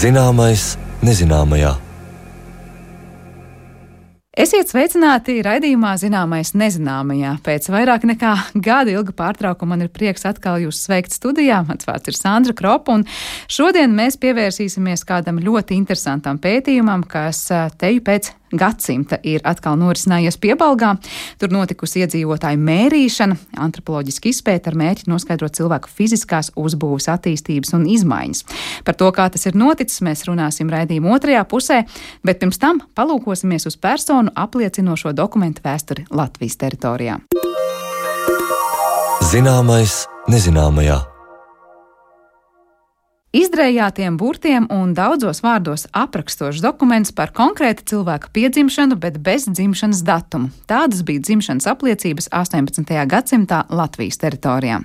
Zināmais nezināmajā. Esiet sveicināti raidījumā Zināmais nezināmajā. Pēc vairāk nekā gada ilga pārtraukuma man ir prieks atkal jūs sveikt studijā. Mans vārds ir Sandra Kropa, un šodien mēs pievērsīsimies kādam ļoti interesantam pētījumam, kas teju pēc gadsimta ir atkal norisinājies Piebalgā. Tur notikusi iedzīvotāju mērīšana, antropoloģiski izpēta ar mērķi noskaidrot cilvēku fiziskās uzbūves attīstības un izmaiņas. Par to, kā tas ir noticis, mēs runāsim raidījuma otrajā pusē, bet pirms tam palūkosimies uz personu apliecinošo dokumentu vēsturi Latvijas teritorijā. Zināmais nezināmajā. Izdrējātiem burtiem un daudzos vārdos aprakstošs dokuments par konkrēta cilvēka piedzimšanu, bet bez dzimšanas datuma. Tādas bija dzimšanas apliecības 18. gadsimtā Latvijas teritorijā.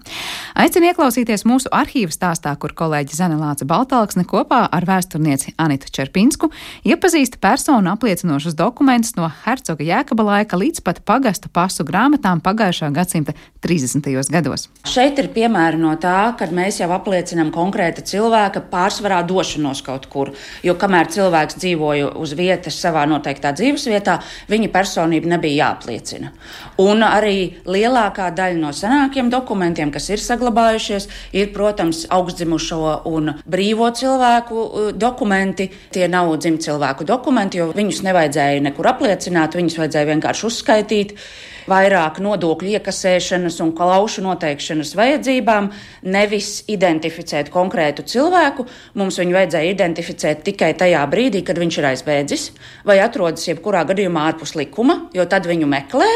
Aicinu ieklausīties mūsu arhīva stāstā, kur kolēģi Zane Lāce Baltalksne kopā ar vēsturnieci Anitu Čerpinsku iepazīsta personu apliecinošus dokumentus no hercoga Jēkaba laika līdz pat pagasta pasu grāmatām pagājušā gadsimta 30. gados. Šeit ir piemēri no tā, kad mēs jau apliecinām konkrēta cilvēka pārsvarā došanos kaut kur, jo kamēr cilvēks dzīvoja uz vietas savā noteiktā dzīvesvietā, viņa personība nebija jāapliecina. Un arī lielākā daļa no senākiem dokumentiem, kas ir saglabājušies, ir, protams, augstdzimušo un brīvo cilvēku dokumenti. Tie nav dzimtcilvēku dokumenti, jo viņus nevajadzēja nekur apliecināt, viņus vajadzēja vienkārši uzskaitīt. Vairāk nodokļu iekasēšanas un klaušu noteikšanas vajadzībām, nevis identificēt konkrētu cilvēku. Mums viņu vajadzēja identificēt tikai tajā brīdī, kad viņš ir aizbēdzis vai atrodas jebkurā gadījumā ārpus likuma, jo tad viņu meklē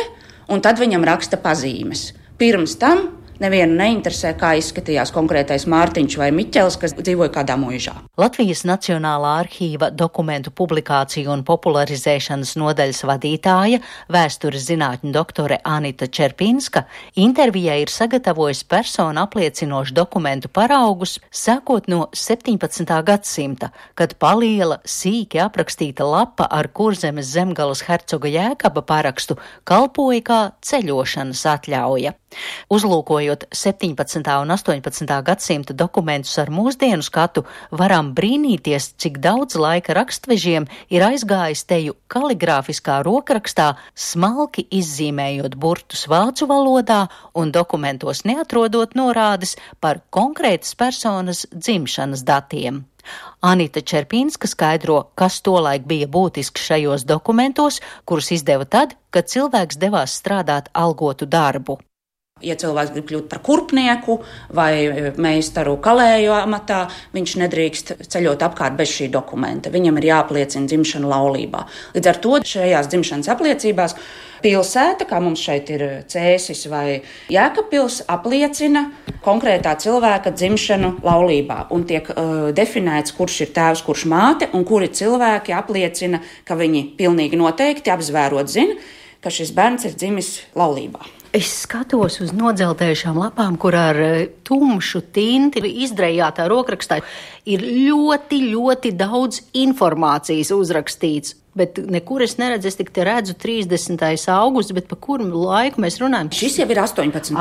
un tad viņam raksta pazīmes. Pirms tam nevienu neinteresē, kā izskatījās konkrētais Mārtiņš vai Miķels, kas dzīvoja kādā mūžā. Latvijas Nacionālā arhīva dokumentu publikāciju un popularizēšanas nodaļas vadītāja, vēstures zinātņu doktore Anita Čerpinska, intervijai ir sagatavojusi personu apliecinošu dokumentu paraugus, sākot no 17. gadsimta, kad paliela, sīki aprakstīta lapa ar Kurzemes zemgalas hercoga Jēkaba parakstu kalpoja kā ceļošanas atļauja. Uzlūkojot 17. un 18. gadsimta dokumentus ar mūsdienu skatu, varam brīnīties, cik daudz laika rakstvežiem ir aizgājis teju kaligrāfiskā rokrakstā, smalki izzīmējot burtus vācu valodā un dokumentos neatrodot norādes par konkrētas personas dzimšanas datiem. Anita Čerpinska skaidro, kas tolaik bija būtisks šajos dokumentos, kurus izdeva tad, kad cilvēks devās strādāt algotu darbu. Ja cilvēks grib kļūt par kurpnieku vai meistaru kalēju amatā, viņš nedrīkst ceļot apkārt bez šī dokumenta. Viņam ir jāapliecina dzimšana laulībā. Līdz ar to šajās dzimšanas apliecībās pilsēta, kā mums šeit ir Cēsis vai Jēkabpils, apliecina konkrētā cilvēka dzimšanu laulībā. Un tiek definēts, kurš ir tēvs, kurš māte, un kuri cilvēki apliecina, ka viņi pilnīgi noteikti apzvērot zina, ka šis bērns ir dzimis laulībā. Es skatos uz nodzeltējušām lapām, kur ar tumšu tinti izdrējātā rokrakstā ir ļoti, ļoti daudz informācijas uzrakstīts. Bet nekur es neredzu, es tik te redzu 30. augusts, bet pa kuru laiku mēs runājam? Šis jau ir 18.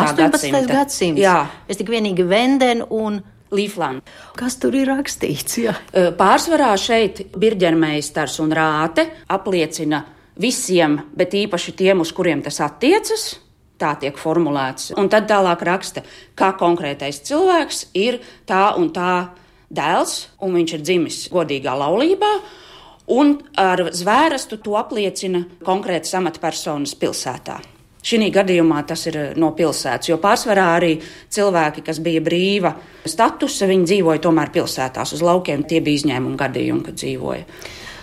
gadsimts. Jā. Es tik vienīgi Venden un Līfland. Kas tur ir rakstīts? Jā. Pārsvarā šeit birģermeistars un rāte apliecina visiem, bet īpaši tiem, uz kuriem tas attiecas. Tā tiek formulēts. Un tad tālāk raksta, kā konkrētais cilvēks ir tā un tā dēls, un viņš ir dzimis godīgā laulībā, un ar zvērestu to apliecina konkrētas amatpersonas pilsētā. Šī gadījumā tas ir no pilsētas, jo pārsvarā arī cilvēki, kas bija brīva statusa, viņi dzīvoja tomēr pilsētās uz laukiem. Tie bija izņēmumi gadījumi, kad dzīvoja.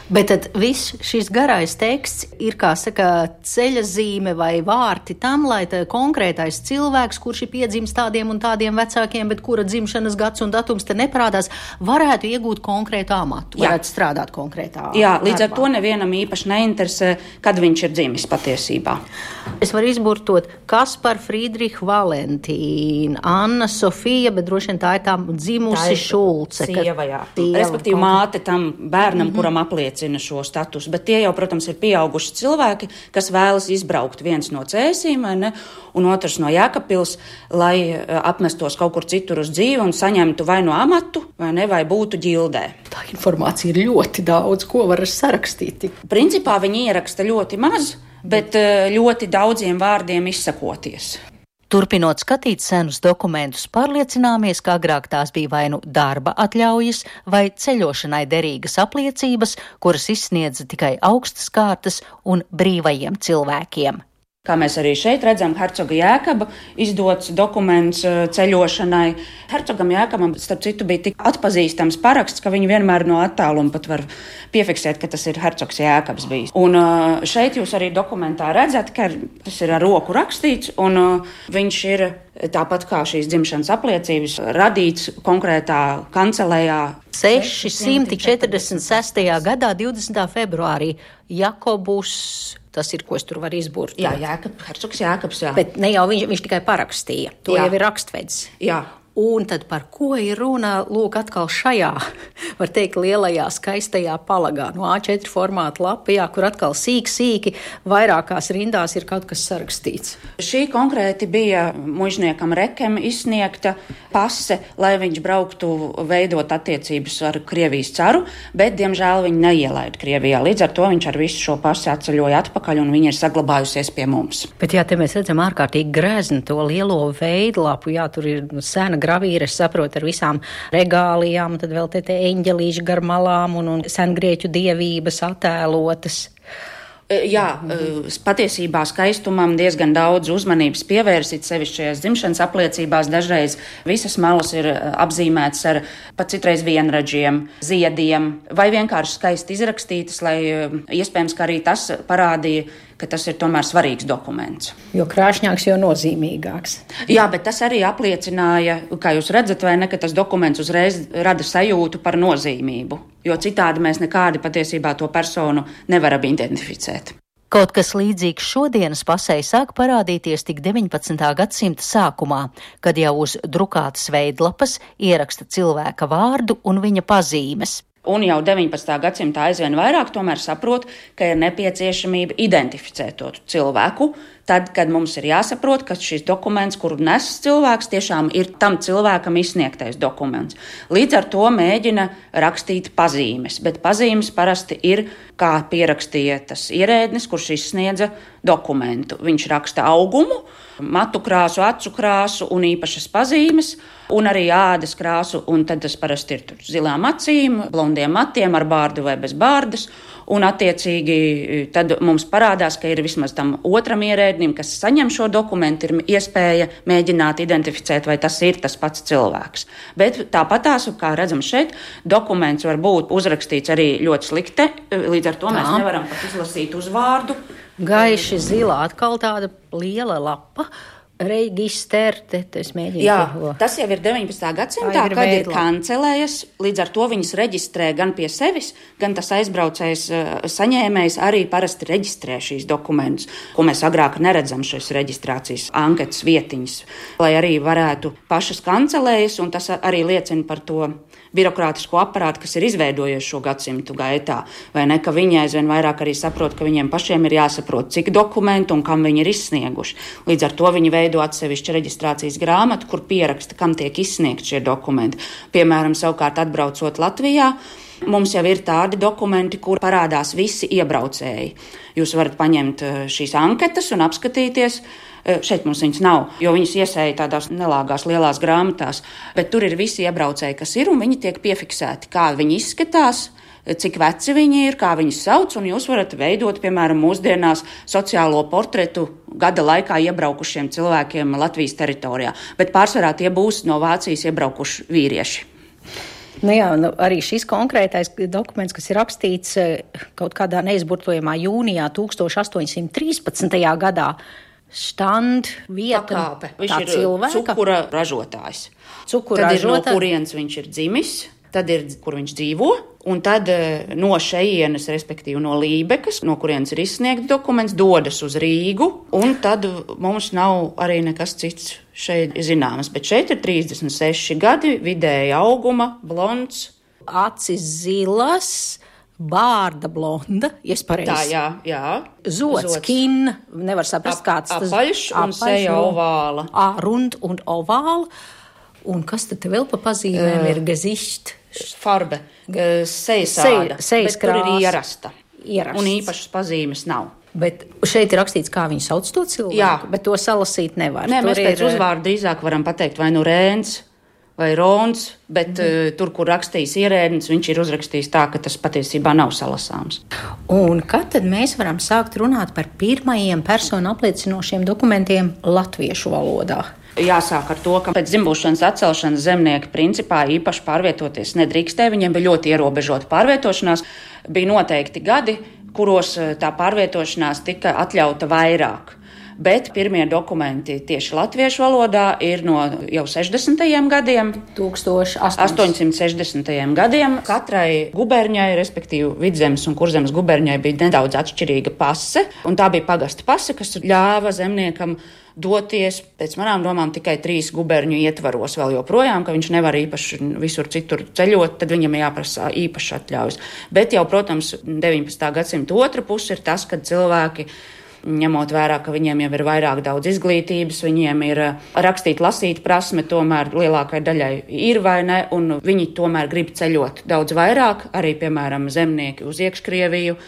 Bet tad viss šis garais teksts ir, kā saka, ceļa zīme vai vārti tam, lai konkrētais cilvēks, kurš ir piedzimis tādiem un tādiem vecākiem, bet kura dzimšanas gads un datums te neparādās, varētu iegūt konkrētu amatu, varētu strādāt konkrētā Jā, līdz ar darbā. to nevienam īpaši neinteresē, kad viņš ir dzimis patiesībā. Es varu izburtot Kaspar, Friedrich, Valentīna, Anna, Sofija, bet droši vien tā ir tā dzimusi Šulce. Sieva, jā. Respektīvi māte tam bērnam, kuram apliecina šo statusu, bet tie jau, protams, ir pieauguši cilvēki, kas vēlas izbraukt viens no Cēsīm, vai ne, un otrs no Jēkabpils, lai apmestos kaut kur citur uz dzīvi un saņemtu vai no amatu, vai ne, vai būtu ģildē. Tā informācija ir ļoti daudz, ko var sarakstīt. Principā viņi ieraksta ļoti maz, bet ļoti daudziem vārdiem izsakoties. Turpinot skatīt senus dokumentus, pārliecināmies, ka agrāk tās bija vai nu darba atļaujas vai ceļošanai derīgas apliecības, kuras izsniedza tikai augstas kārtas un brīvajiem cilvēkiem. Kā mēs arī šeit redzam, hercoga Jēkaba izdots dokuments ceļošanai. Hercogam Jēkabam, starp citu, bija tik atpazīstams paraksts, ka viņi vienmēr no attāluma pat var piefiksēt, ka tas ir hercogs Jēkabs bijis. Un šeit jūs arī dokumentā redzat, ka tas ir ar roku rakstīts, un viņš ir tāpat kā šīs dzimšanas apliecības radīts konkrētā kancelējā. 646. gadā 20. februārī Jakobus. Tas ir, ko es tur varu izburtot. Jā, hercogs Jēkabs, jā. Bet ne jau viņš tikai parakstīja. To Jā. jau ir rakstvedis. Jā. Un tad par ko ir runa, lūk, atkal šajā, var teikt, lielajā, skaistajā palagā, no A4 formāta lapā, kur atkal sīki, vairākās rindās ir kaut kas sarakstīts. Šī konkrēti bija mužniekam Rekem izsniegta pase, lai viņš brauktu veidot attiecības ar Krievijas caru, bet, diemžēl, viņu neielaida Krievijā. Līdz ar to viņš ar visu šo pasi atceļoja atpakaļ, un viņa ir saglabājusies pie mums. Bet jā, te mēs redzam ārkārtīgi grezni to lielo veidlapu, jā, tur ir sena gravīra, es saprotu, ar visām regālijām, tad vēl te eņģelīši gar malām un sengrieķu dievības attēlotas. Jā, patiesībā skaistumam diezgan daudz uzmanības pievērsīt sevišķajās dzimšanas apliecībās. Dažreiz visas malas ir apzīmētas ar pat citreiz vienradžiem, ziediem vai vienkārši skaisti izrakstītas, lai iespējams, ka arī tas parādīja, ka tas ir tomēr svarīgs dokuments. Jo krāšņāks, jo nozīmīgāks. Jā, bet tas arī apliecināja, kā jūs redzat, vai ne, ka tas dokuments uzreiz rada sajūtu par nozīmību, jo citādi mēs nekādi patiesībā to personu nevaram identificēt. Kaut kas līdzīgs šodienas pasei sāk parādīties tik 19. gadsimta sākumā, kad jau uz drukātas veidlapas ieraksta cilvēka vārdu un viņa pazīmes. Un jau 19. gadsimtā aizvien vairāk tomēr saprot, ka ir nepieciešamība identificēt to cilvēku, tad, kad mums ir jāsaprot, ka šis dokuments, kuru nes cilvēks, tiešām ir tam cilvēkam izsniegtais dokuments. Līdz ar to mēģina rakstīt pazīmes, bet pazīmes parasti ir, kā pierakstīja tas ierēdnis, kurš izsniedza dokumentu. Viņš raksta augumu, matu krāsu, acu krāsu un īpašas pazīmes, un arī ādas krāsu, un tad tas parasti ir zilām acīm, blondiem matiem ar bārdu vai bez bārdas, un attiecīgi tad mums parādās, ka ir vismaz tam otram ierēdnim, kas saņem šo dokumentu, ir iespēja mēģināt identificēt, vai tas ir tas pats cilvēks. Bet tāpatās, kā redzam šeit, dokuments var būt uzrakstīts arī ļoti slikti, līdz ar to mēs nevaram pat izlasīt uzvārdu. Gaiši zilā, atkal tāda liela lapa. Reģistrē, es mēģinu. Jā, tas jau ir 19. gadsimtā, kad ir kancelējas, līdz ar to viņas reģistrē gan pie sevis, gan tas aizbraucējs saņēmējs arī parasti reģistrē šīs dokumentus, ko mēs agrāk neredzam šīs reģistrācijas anketas vietiņas, lai arī varētu pašas kancelējas, un tas arī liecina par to birokrātisko aparātu, kas ir izveidojies šo gadsimtu gaitā, vai ne, ka viņi aizvien vairāk arī saprot, ka viņiem pašiem ir jāsaprot, cik dokumentu un kam viņi ir izsnieguši. Līdz ar to viņi veido atsevišķu reģistrācijas grāmatu, kur pieraksta, kam tiek izsniegt šie dokumenti. Piemēram, savukārt atbraucot Latvijā, mums jau ir tādi dokumenti, kur parādās visi iebraucēji. Jūs varat paņemt šīs anketas un apskatīties. Šeit mums viņas nav, jo viņas iesēja tādās nelāgās lielās grāmatās, bet tur ir visi iebraucēji, kas ir, un viņi tiek piefiksēti, kā viņi izskatās, cik veci viņi ir, kā viņus sauc, un jūs varat veidot, piemēram, mūsdienās sociālo portretu gada laikā iebraukušiem cilvēkiem Latvijas teritorijā, bet pārsvarā tie būs no Vācijas iebraukuši vīrieši. Arī šis konkrētais dokuments, kas ir rakstīts kaut kādā neizburtojamā jūnijā 1813. gadā, štand vieta pakāpe. Viņš ir cilvēka. cukura ražotājs. Tad ir no kurienes viņš ir dzimis, tad ir, kur viņš dzīvo, un tad no šejienes, respektīvi no Lībekas, no kurienes ir izsniegts dokuments, dodas uz Rīgu, un tad mums nav arī nekas cits šeit zināms. Bet šeit ir 36 gadi, vidēja auguma, blonds. Acis zilas, bārda blonda, pareizi. Tā, jā. Zots, kin, nevar saprast, kāds tas. Apaļš un seja ovāla. Rund un ovāla. Un kas tad vēl pa pazīmēm ir gezišt? Farbe, sejas āda, sejas bet tur ir ierasta. Un īpašas pazīmes nav. Bet šeit ir rakstīts, kā viņi sauc to cilvēku, Jā. Bet to salasīt nevar. Nē, mēs pēc uzvārdu drīzāk varam pateikt vai nu Rēns vai Rons, bet tur, kur rakstījis ierēdnis, viņš ir uzrakstījis tā, ka tas patiesībā nav salasāms. Un kad tad mēs varam sākt runāt par pirmajiem personu apliecinošiem dokumentiem latviešu valodā? Jāsāk ar to, ka pēc dzimbūšanas atcelšanas zemnieki principā īpaši pārvietoties nedrīkstēja. Viņiem bija ļoti ierobežota pārvietošanās. Bija noteikti gadi, kuros tā pārvietošanās tika atļauta vairāk. Bet pirmie dokumenti tieši latviešu valodā ir no jau 60. gadiem, 1860. gadiem. Katrai guberņai, respektīvi Vidzemes un Kurzemes guberņai, bija nedaudz atšķirīga pase, un tā bija pagasta pase, kas ļāva zemniekam doties, pēc manām domām, tikai 3 guberņu ietvaros vēl joprojām, ka viņš nevar īpaši visur citur ceļot, tad viņam jāprasa īpaši atļaujas. Bet jau, protams, 19. gadsimta otra puse ir tas, kad cilvēki, ņemot vērā, ka viņiem jau ir vairāk daudz izglītības, viņiem ir rakstīt, lasīt prasme, tomēr lielākai daļai ir vai ne, un viņi tomēr grib ceļot daudz vairāk, arī, piemēram, zemnieki uz Iekškrieviju,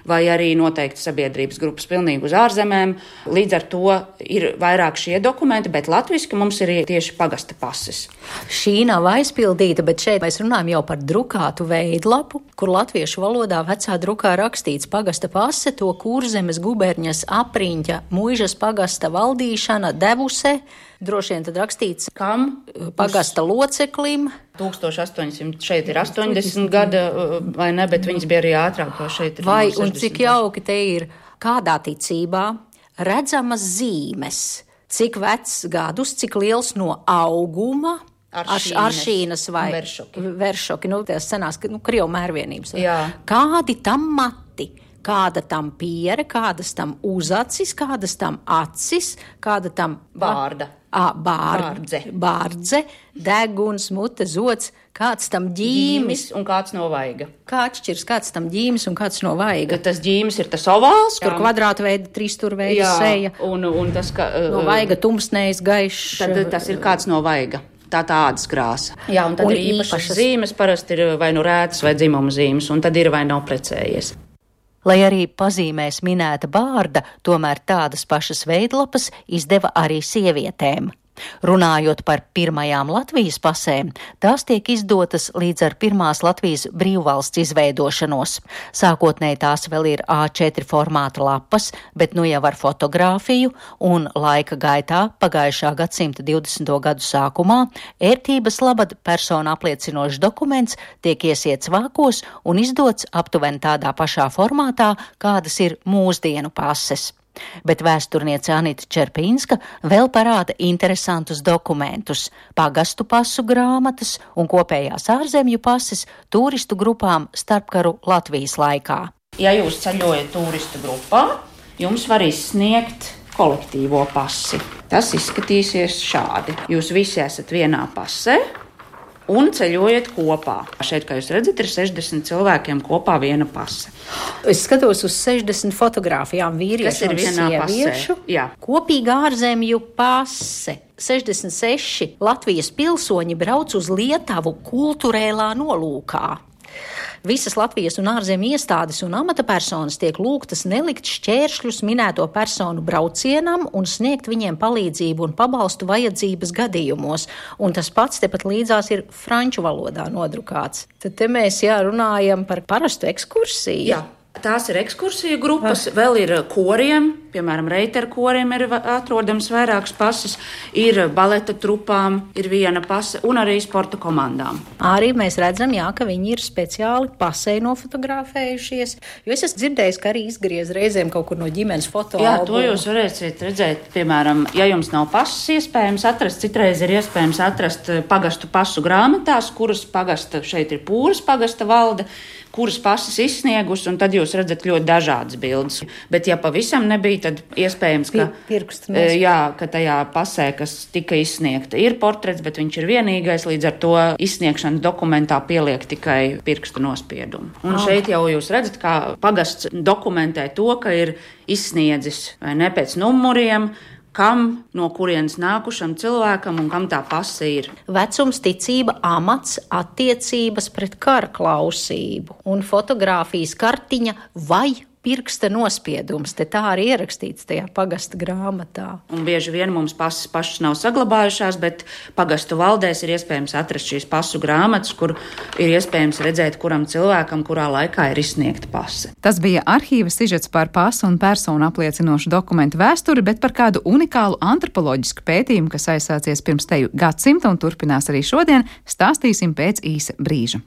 vai arī noteikti sabiedrības grupas pilnīgi uz ārzemēm. Līdz ar to ir vairāk šie dokumenti, bet latviski mums ir tieši pagasta pases. Šī nav aizpildīta, bet šeit mēs runājam jau par drukātu veidlapu, kur latviešu valodā vecā drukā rakstīts pagasta pase, to Kurzemes guberņas apriņķa muižas pagasta valdīšana devuse, droši vien tad rakstīts kam? Pagasta loceklim. 1800, šeit ir 80 gada, vai ne, bet viņas bija arī ātrāk, jo šeit ir vai, 60. Un cik jauki te ir, kādā ticībā redzamas zīmes, cik vecs gadus, cik liels no auguma, aršīnas vai veršoki, tās senās, Krievu mērvienības. Jā. Kādi tam mati? Kāda tam piere, kādas tam uzacis, kādas tam acis, kāda tam bārdze, deguns, mute, zots, kāds tam ģīmis un kāds no vaiga. Kā atšķirs, kāds tam ģīmis un kāds no vaiga? Tas ģīmis ir tas ovāls, tur kvadrāta veida, trīsstūrveida seja. Un tas, ka no vaiga tumsnējs, gaišs. Tad tas ir kāds no vaiga. Tā ādas krāsa. Jā, un tad ir īpašas zīmes, parasti ir vai nu rētas vai dzimuma zīmes, un tad ir vai nav precējies. Lai arī pazīmēs minēta bārda, tomēr tādas pašas veidlapas izdeva arī sievietēm. Runājot par pirmajām Latvijas pasēm, tās tiek izdotas līdz ar pirmās Latvijas brīvvalsts izveidošanos. Sākotnēji tās vēl ir A4 formāta lapas, bet nu jau ar fotogrāfiju, un laika gaitā pagājušā gadsimta 20. gadu sākumā ērtības labad personu apliecinošs dokuments tiek iesiets vākos un izdots aptuveni tādā pašā formātā, kādas ir mūsdienu pases. Bet vēsturniece Anita Čerpinska vēl parāda interesantus dokumentus – pagastu pasu grāmatas un kopējās ārzemju pases turistu grupām starpkaru Latvijas laikā. Ja jūs ceļojat turistu grupā, jums var izsniegt kolektīvo pasi. Tas izskatīsies šādi. Jūs visi esat vienā pasē un ceļojat kopā. Šeit, kā jūs redzat, ir 60 cilvēkiem kopā viena pase. Es skatos uz 60 fotogrāfijām vīriešu un sieviešu. Kopīga ārzemju pase. 66 Latvijas pilsoņi brauc uz Lietuvu kulturēlā nolūkā. Visas Latvijas un ārzemju iestādes un amatapersonas tiek lūgtas nelikt šķēršļus minēto personu braucienam un sniegt viņiem palīdzību un pabalstu vajadzības gadījumos. Un tas pats tepat līdzās ir franču valodā nodrukāts. Tad te mēs runājam par parastu ekskursiju. Jā. Tās ir ekskursiju grupas, vēl ir koriem, piemēram, reiterkorim ir atrodams vairākas pases, ir baleta trupām, ir viena pase un arī sporta komandām. Arī mēs redzam, jā, ka viņi ir speciāli pasē nofotografējušies, jo es esmu dzirdējis, ka arī izgriez reizēm kaut kur no ģimenes fotoalbuma. Jā, to jūs varēsiet redzēt, piemēram, ja jums nav pases iespējams atrast, citreiz ir iespējams atrast pagastu pasu grāmatās, kuras pagasta, šeit ir Pūras pagasta valde, kuras pases izsniegus, un tad jūs redzat ļoti dažādas bildes. Bet ja pavisam nebija, tad iespējams, ka tajā pasē, kas tika izsniegta, ir portrets, bet viņš ir vienīgais, līdz ar to izsniegšanas dokumentā pieliek tikai pirksta nospiedumu. Un šeit jau jūs redzat, kā pagasts dokumentē to, ka ir izsniedzis vai ne pēc numuriem, kam, no kurienes nākušam cilvēkam un kam tā pase ir. Vecums, ticība, amats, attiecības pret kara klausību un fotogrāfijas kartiņa vai pirksta nospiedums. Te tā arī ierakstīts tajā pagasta grāmatā. Un bieži vien mums pases pašas nav saglabājušās, bet pagastu valdēs ir iespējams atrast šīs pasu grāmatas, kur ir iespējams redzēt, kuram cilvēkam, kurā laikā ir izsniegta pase. Tas bija arhīva sižets par pasu un personu apliecinošu dokumentu vēsturi, bet par kādu unikālu antropoloģisku pētījumu, kas aizsācies pirms teju gadsimta un turpinās arī šodien, stāstīsim pēc īsa brīža.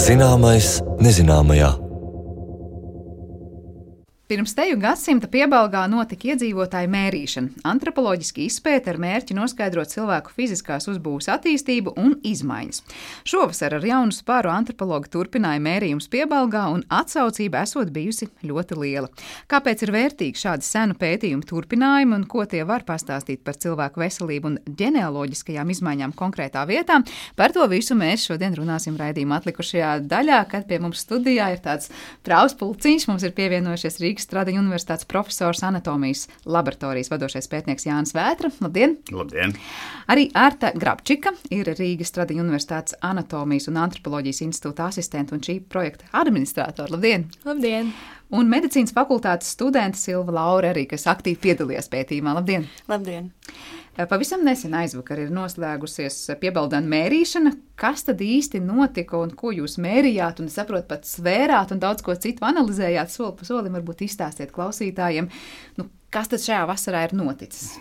Zināmais nezināmajā. Pirms teju gadsimta Piebalgā notika iedzīvotāju mērīšana, antropoloģiski izpēte ar mērķi noskaidrot cilvēku fiziskās uzbūves attīstību un izmaiņas. Šovasar ar jaunu spāru antropologi turpināja mērījumus Piebalgā, un atsaucība esot bijusi ļoti liela. Kāpēc ir vērtīgi šādi senu pētījumu turpinājumi un ko tie var pastāstīt par cilvēku veselību un ģenealoģiskajām izmaiņām konkrētā vietā? Par to visu mēs šodien runāsim raidījuma atlikušajā daļā, kad pie mums studijā ir tāds Praus Pulciņš, mums ir pievienojušies Rīgas Stradiņu universitātes profesors, anatomijas laboratorijas vadošais pētnieks Jānis Vētra. Labdien! Labdien! Arī Arta Grabčika ir Rīgas Stradiņu universitātes anatomijas un antropoloģijas institūta asistente un šī projekta administratora. Labdien! Labdien! Un medicīnas fakultātes studente Silva Laure arī, kas aktīvi piedalījās pētījumā. Labdien! Labdien! Pavisam nesen aizvakar ir noslēgusies Piebaldāna mērīšana. Kas tad īsti notika un ko jūs mērījāt un, saprot, pat svērāt un daudz ko citu analizējāt? Soli pa solim varbūt izstāstiet klausītājiem, kas tad šajā vasarā ir noticis?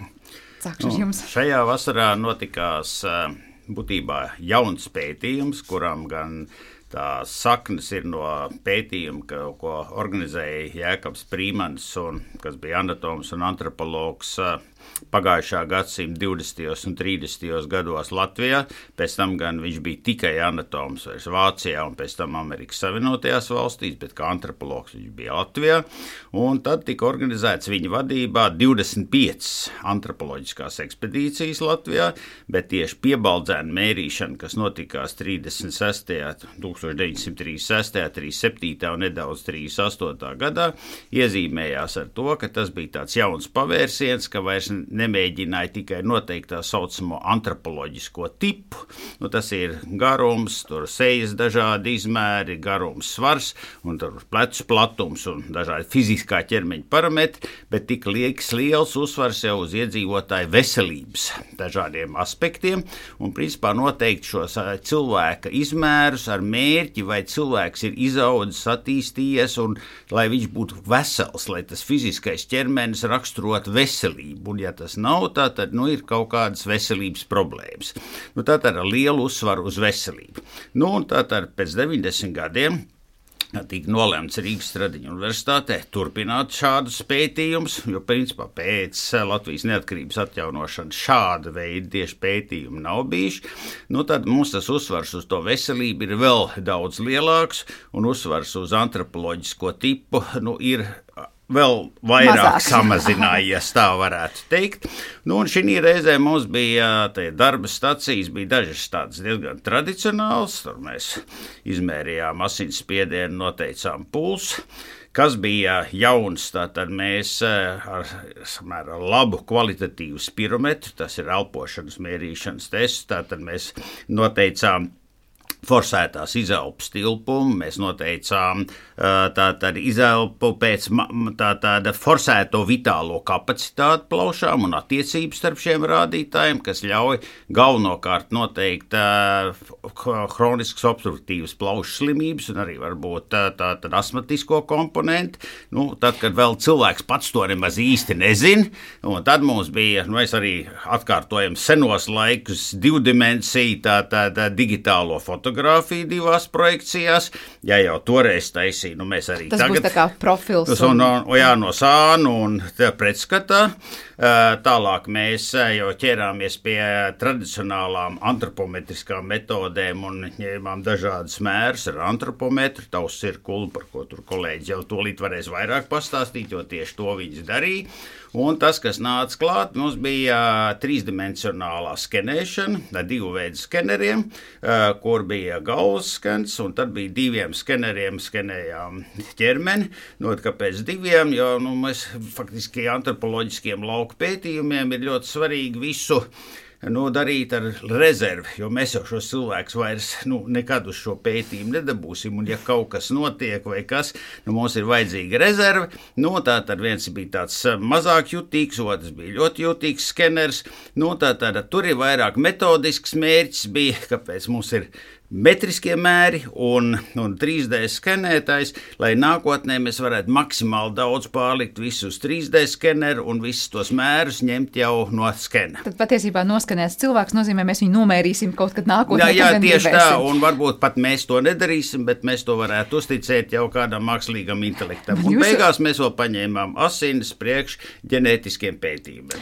Sākšu ar jums. Šajā vasarā notikās būtībā jauns pētījums, kuram gan tā saknes ir no pētījuma, ko organizēja Jēkabs Prīmanis, kas bija anatoms un antropologs pagājušā gadsimta 20. un 30. gados Latvijā. Pēc tam gan viņš bija tikai anatoms vairs Vācijā un pēc tam Amerikas Savienotajās valstīs, bet kā antropologs viņš bija Latvijā. Un tad tika organizēts viņa vadībā 25 antropoloģiskās ekspedīcijas Latvijā, bet tieši Piebaldzēna mērīšana, kas notikās 1936., 37. un nedaudz 38. gadā, iezīmējās ar to, ka tas bija tāds jauns pavērsiens, ka vairs nemēģināja tikai noteikt tā saucamo antropoloģisko tipu. Tas ir garums, tur sejas dažādi izmēri, garums, svars, un tur plecu platums un dažādi fiziskā ķermeņa parametri, bet tik liels uzsvars jau uz iedzīvotāju veselības dažādiem aspektiem, un principā noteikt šos cilvēka izmērus ar mērķi, vai cilvēks ir izaudzis, attīstījies, un lai viņš būtu vesels, lai tas fiziskais ķermenis raksturot veselību. Un ja tas nav, tad ir kaut kādas veselības problēmas. Tātad ar lielu uzsvaru uz veselību. Un tātad pēc 90 gadiem tika nolemts Rīgas Stradiņu universitātē turpināt šādus pētījumus, jo principā pēc Latvijas neatkarības atjaunošanas šāda veida tieši pētījumi nav bijuši. Tad mums tas uzsvars uz to veselību ir vēl daudz lielāks, un uzsvars uz antropoloģisko tipu ir vēl vairāk samazinājies, tā varētu teikt. Un šī reizē mums bija darba stacijas, bija dažas tādas diezgan tradicionāls, tur mēs izmērījām asinsspiedienu, noteicām pulsu. Kas bija jauns, tātad mēs ar labu kvalitatīvu spirometru, tas ir elpošanas mērīšanas tests, tātad mēs noteicām forsētās izelpas tilpumu, mēs noteicām tātad izelpu pēc tāda forsēto vitālo kapacitāti plaušām un attiecības starp šiem rādītājiem, kas ļauj galvenokārt noteikt hroniskas obstruktīvas plaušu slimības un arī varbūt tātad astmatisko komponenti. Tad, kad vēl cilvēks pats to nemaz īsti nezin, un tad mums bija, mēs arī atkārtojam senos laikus divdimensiju, tātad digitālo fotografiju divās projekcijās, ja jau toreiz taisīja, mēs arī tas tagad. Tas būs tā kā profils. No sānu un pretskatā. Tālāk mēs jau ķērāmies pie tradicionālām antropometriskām metodēm un ņēmām dažādas mērus ar antropometru, tausu cirkuli, par ko tur kolēģi jau tūlīt varēs vairāk pastāstīt, jo tieši to viņas darīja. Un tas, kas nāca klāt, mums bija trīsdimensionālā skenēšana ar divu veidu skeneriem, kur bija galvas skens, un tad bija diviem skeneriem skenējām ķermeni. Kāpēc diviem? Jo mēs faktiski antropoloģiskiem lauku pētījumiem ir ļoti svarīgi visu darīt ar rezervi, jo mēs jau šos cilvēkus vairs nekad uz šo pētījumu nedabūsim, un ja kaut kas notiek vai kas, mums ir vajadzīga rezerve, tātad viens bija tāds mazāk jutīgs, otrs bija ļoti jutīgs skeners, tātad tur ir vairāk metodisks mērķis bija, kāpēc mums ir metriskie mēri un 3D skenētājs, lai nākotnē mēs varētu maksimāli daudz pārlikt visu uz 3D skeneru un visus tos mērus ņemt jau no skena. Tad patiesībā noskanēts cilvēks nozīmē, mēs viņu nomērīsim kaut kad nākotnē. Jā, tieši tā, un varbūt pat mēs to nedarīsim, bet mēs to varētu uzticēt jau kādam mākslīgam intelektam. Un beigās mēs vēl paņēmām asinis priekš ģenētiskiem pētījumiem.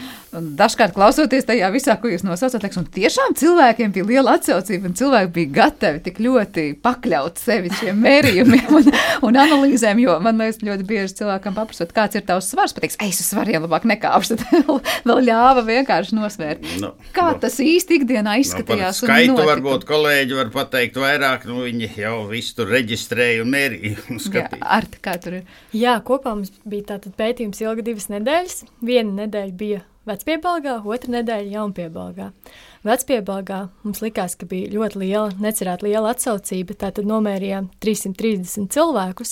Dažkārt klausoties tajā visā, ko jūs nosaucat, un tiešām cilvēkiem bija liela atsaucība un cilvēki bija gatavi tik ļoti pakļaut sevi šiem mērījumiem un analīzēm, jo man liekas ļoti bieži cilvēkam paprasot, kāds ir tavs svars, pateiks, es uz svariem labāk nekāpšu, tad vēl ļāva vienkārši nosvērt. Kā tas īsti ikdienā izskatījās? Skaitu varbūt kolēģi var pateikt vairāk, viņi jau visu tur reģistrēja un mērīja un skatīja. Jā, Arti, kā tur ir? Jā, kopā mums bija tātad pētījums ilga 2 nedēļas. Viena nedēļa bija Vecpiebalgā, otra nedēļa Jaunpiebalgā. Vecpiebalgā mums likās, ka bija ļoti liela, necerēta liela atsaucība, tātad nomērījām 330 cilvēkus.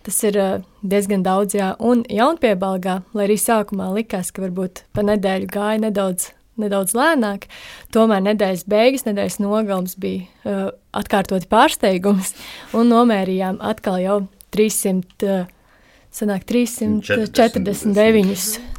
Tas ir diezgan daudz, jā, un Jaunpiebalgā, lai arī sākumā likās, ka varbūt pa nedēļu gāja nedaudz lēnāk, tomēr nedēļas beigas, nedēļas nogalums bija atkārtoti pārsteigums, un nomērījām atkal jau 349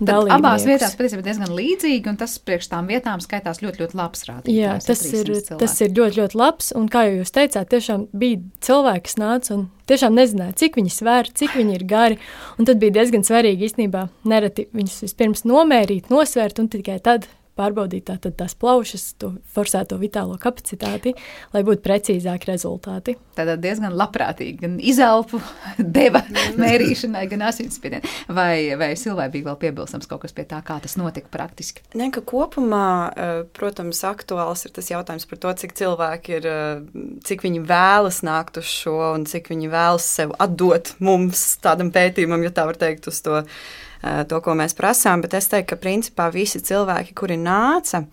dalībniekus. Abās vietās patiesībā diezgan līdzīgi, un tas priekš tām vietām skaitās ļoti, ļoti labs rādītājs. Jā, tas ir ļoti, ļoti labs, un kā jūs teicāt, tiešām bija cilvēki, kas nāca un tiešām nezināja, cik viņi svēr, cik viņi ir gari, un tad bija diezgan svarīgi īstenībā nereti viņus vispirms nomērīt, nosvērt, un tikai tad pārbaudīt tātad tās plaušas, to forsēto vitālo kapacitāti, lai būtu precīzāki rezultāti. Tātad diezgan labprātīgi, gan izelpu deva mērīšanai, gan asinsspiedienu. Vai Silvai bija vēl piebilstams kaut kas pie tā, kā tas notika praktiski? Ka kopumā, protams, aktuāls ir tas jautājums par to, cik cilvēki ir, cik viņi vēlas nākt uz šo un cik viņi vēlas sev atdot mums tādam pētījumam, ja tā var teikt, uz to, ko mēs prasām, bet es teiktu, ka principā visi cilvēki, kuri nāca,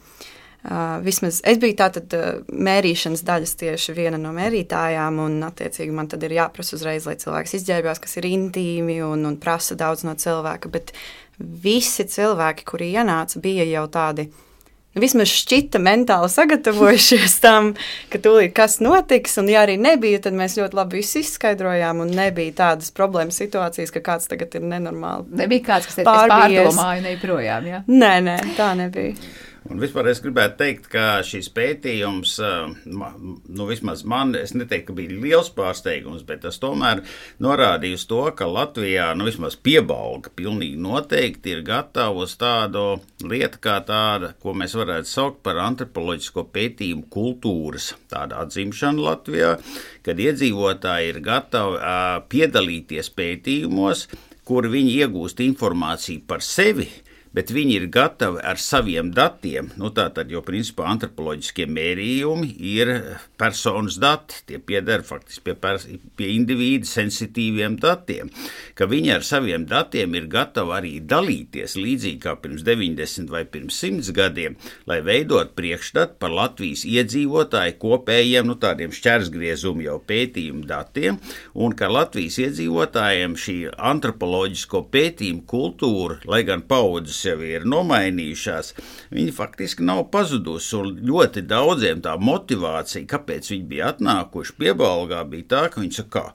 vismaz es biju tātad mērīšanas daļas tieši viena no mērītājām, un attiecīgi man tad ir jāprasa uzreiz, lai cilvēks izģērbjās, kas ir intīmi un prasa daudz no cilvēka, bet visi cilvēki, kuri ienāca, bija jau tādi, vismaz šķita mentāli sagatavojušies tam, ka tūlīt kas notiks, un ja arī nebija, tad mēs ļoti labi visu izskaidrojām, un nebija tādas problēmas situācijas, ka kāds tagad ir nenormāli. Nebija kāds, kas pārdomāja neprojām, jā? Nē, tā nebija. Un vispār es gribētu teikt, ka šis pētījums, vismaz man, es neteiktu, ka bija liels pārsteigums, bet tas tomēr norādīja uz to, ka Latvijā, vismaz Piebalga pilnīgi noteikti ir gatava uz tādu lietu kā tāda, ko mēs varētu saukt par antropoloģisko pētījumu kultūras tāda atzimšana Latvijā, kad iedzīvotāji ir gatavi piedalīties pētījumos, kur viņi iegūst informāciju par sevi, bet viņi ir gatavi ar saviem datiem, tātad, jo principā antropoloģiskie mērījumi ir personas dati, tie pieder faktiski pie individu sensitīviem datiem, ka viņi ar saviem datiem ir gatavi arī dalīties līdzīgi kā pirms 90 vai pirms 100 gadiem, lai veidot priekšstatu par Latvijas iedzīvotāju kopējiem, tādiem šķērsgriezumu jau pētījumu datiem, un ka Latvijas iedzīvotājiem šī antropoloģisko pētījumu kultūra, lai gan paudzes jau ir nomainījušās, viņi faktiski nav pazudusi, un ļoti daudziem tā motivācija, kāpēc viņi bija atnākuši Piebalgā, bija tā, ka viņi saka,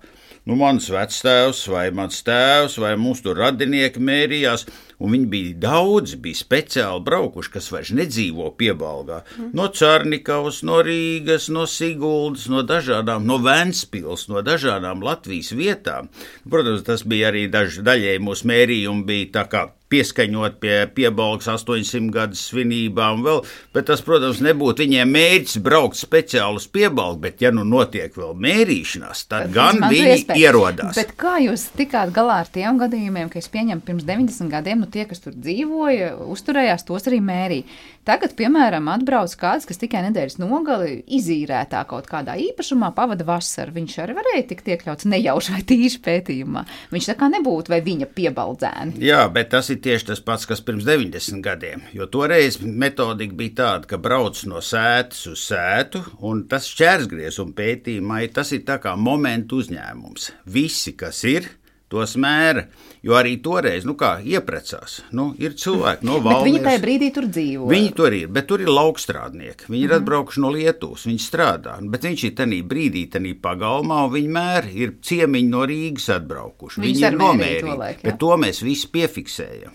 mans vectēvs vai mans tēvs vai mūsu tur radinieki mērījās, un viņi bija speciāli braukuši, kas vairs nedzīvo Piebalgā. No Čarnikavas, no Rīgas, no Siguldas, no Ventspils, no dažādām Latvijas vietām. Protams, tas bija arī daļēji mūsu mērījumi bija tā kā pieskaņot pie Piebalgas 800 gadu svinībām vēl, bet tas, protams, nebūtu viņiem mērķis braukt speciāli uz Piebalgu, bet ja notiek vēl mērīšanās, tad gan viņi ierodās. Bet kā jūs tikāt galā ar tiem gadījumiem, ka es pieņemu pirms 90 gadiem, tie, kas tur dzīvoja, uzturējās, tos arī mērīja. Tagad, piemēram, atbrauc kāds, kas tikai nedēļas nogali izīrētā kaut kādā īpašumā pavada vasaru. Viņš arī varēja tikt iekļauts nejauši vai tīši pētījumā. Viņš tā kā nebūtu vai viņa piebaldzēni. Jā, bet tas ir tieši tas pats, kas pirms 90 gadiem, jo toreiz metodika bija tāda, ka brauc no sētas uz sētu, un tas šķērsgriezuma pētījumā, tas ir tā kā momentu uzņēmums. Visi, kas ir, tos mēra, jo arī toreiz, ieprecās, ir cilvēki no Valmieras. Bet viņi tajā brīdī tur dzīvo. Viņi tur ir, bet tur ir laukstrādnieki. Viņi ir atbraukuši no Lietuvas, viņi strādā, bet viņš ir tanī brīdī, tanī pagalmā, un viņi mēra, ir ciemiņi no Rīgas atbraukuši. Viņi ir nomērīgi, bet to mēs visi piefiksējam.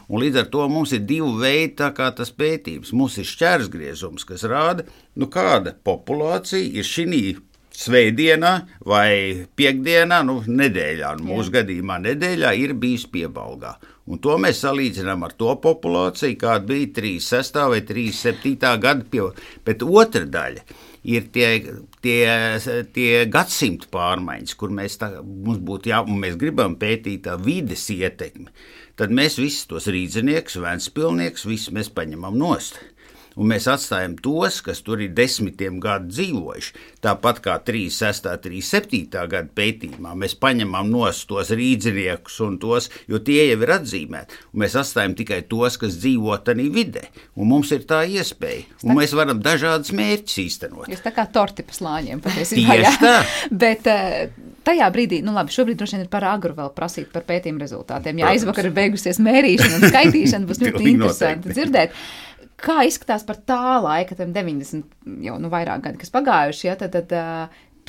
Un līdz ar to mums ir divi veidi, tā kā tas pētījums. Mums ir šķērsgriezums, kas rāda, kāda populācija ir šinī svētdienā vai piekdienā, nedēļā, mūsu gadījumā nedēļā ir bijis Piebalgā. Un to mēs salīdzinām ar to populāciju, kāda bija 36. vai 37. gada. Bet otra daļa ir tie gadsimtu pārmaiņas, kur mums būtu un mēs gribam pētīt tā vides ietekmi. Tad mēs visus tos rīdzinieks, ventspilnieks, visus mēs paņemam nost. Un mēs atstājam tos, kas tur ir desmitiem gadu dzīvojuši. Tāpat kā 36. 37. gada pētījumā mēs paņemam nost tos rīdziniekus un tos, jo tie jau ir atzīmēti. Un mēs atstājam tikai tos, kas dzīvo tanī vidē. Un mums ir tā iespēja. Un mēs varam dažādas mērķus īstenot. Jūs tā kā torti pa slāņiem patiesībā. Tieši tā. Bet tajā brīdī, šobrīd droši vien ir par agru vēl prasīt par pētījumu rezultātiem. Ja aizvakar ir beigusies mērīšana un skaitīšana, būs ļoti interesanti dzirdēt. Kā izskatās par tā laika, 90 jau vairāk gadi, kas pagājuši, tad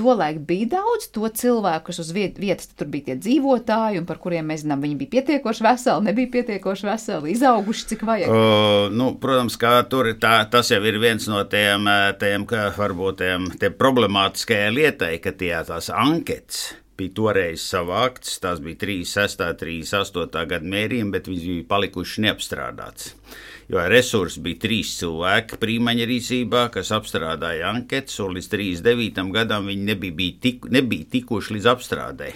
tolaik bija daudz to cilvēku, kas uz vietas tur bija tie dzīvotāji, un par kuriem mēs zinām, viņi bija pietiekoši veseli, nebija pietiekoši veseli, izauguši, cik vajag? Protams, kā tur tas jau ir viens no tiem varbūt tiem problemātiskajai lietai, ka tās anketas bija toreiz savāktas, tās bija 36. 38. gada mērījumi, bet viņas bija palikuši neapstrādāts. Jo resursi bija 3 cilvēki prīmaņa rīcībā, kas apstrādāja anketas, un līdz 39. gadam viņi nebija tikuši līdz apstrādē.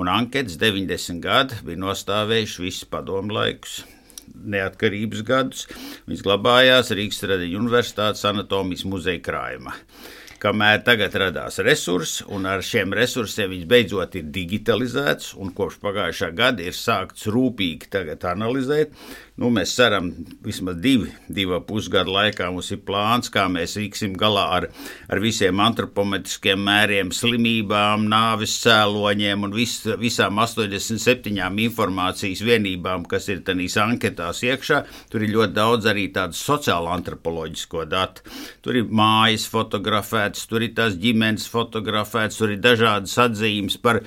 Un anketas 90 gadi bija nostāvējuši visus padomu laikus, neatkarības gadus. Viņas glabājās Rīgas Tradiņu Universitātes anatomijas muzeja krājumā. Kamēr tagad radās resursi, un ar šiem resursiem viņš beidzot ir digitalizēts, un kopš pagājušā gada ir sākts rūpīgi tagad analizēt. Mēs ceram, vismaz 2,5 gadu laikā mums ir plāns, kā mēs tiksim galā ar visiem antropometriskiem mēriem, slimībām, nāves cēloņiem un visām 87 informācijas vienībām, kas ir tanīs anketās iekšā. Tur ir ļoti daudz arī tādu sociālo antropoloģisko datu. Tur ir mājas fotografētas, tur ir tās ģimenes fotografētas, tur ir dažādas atzīmes par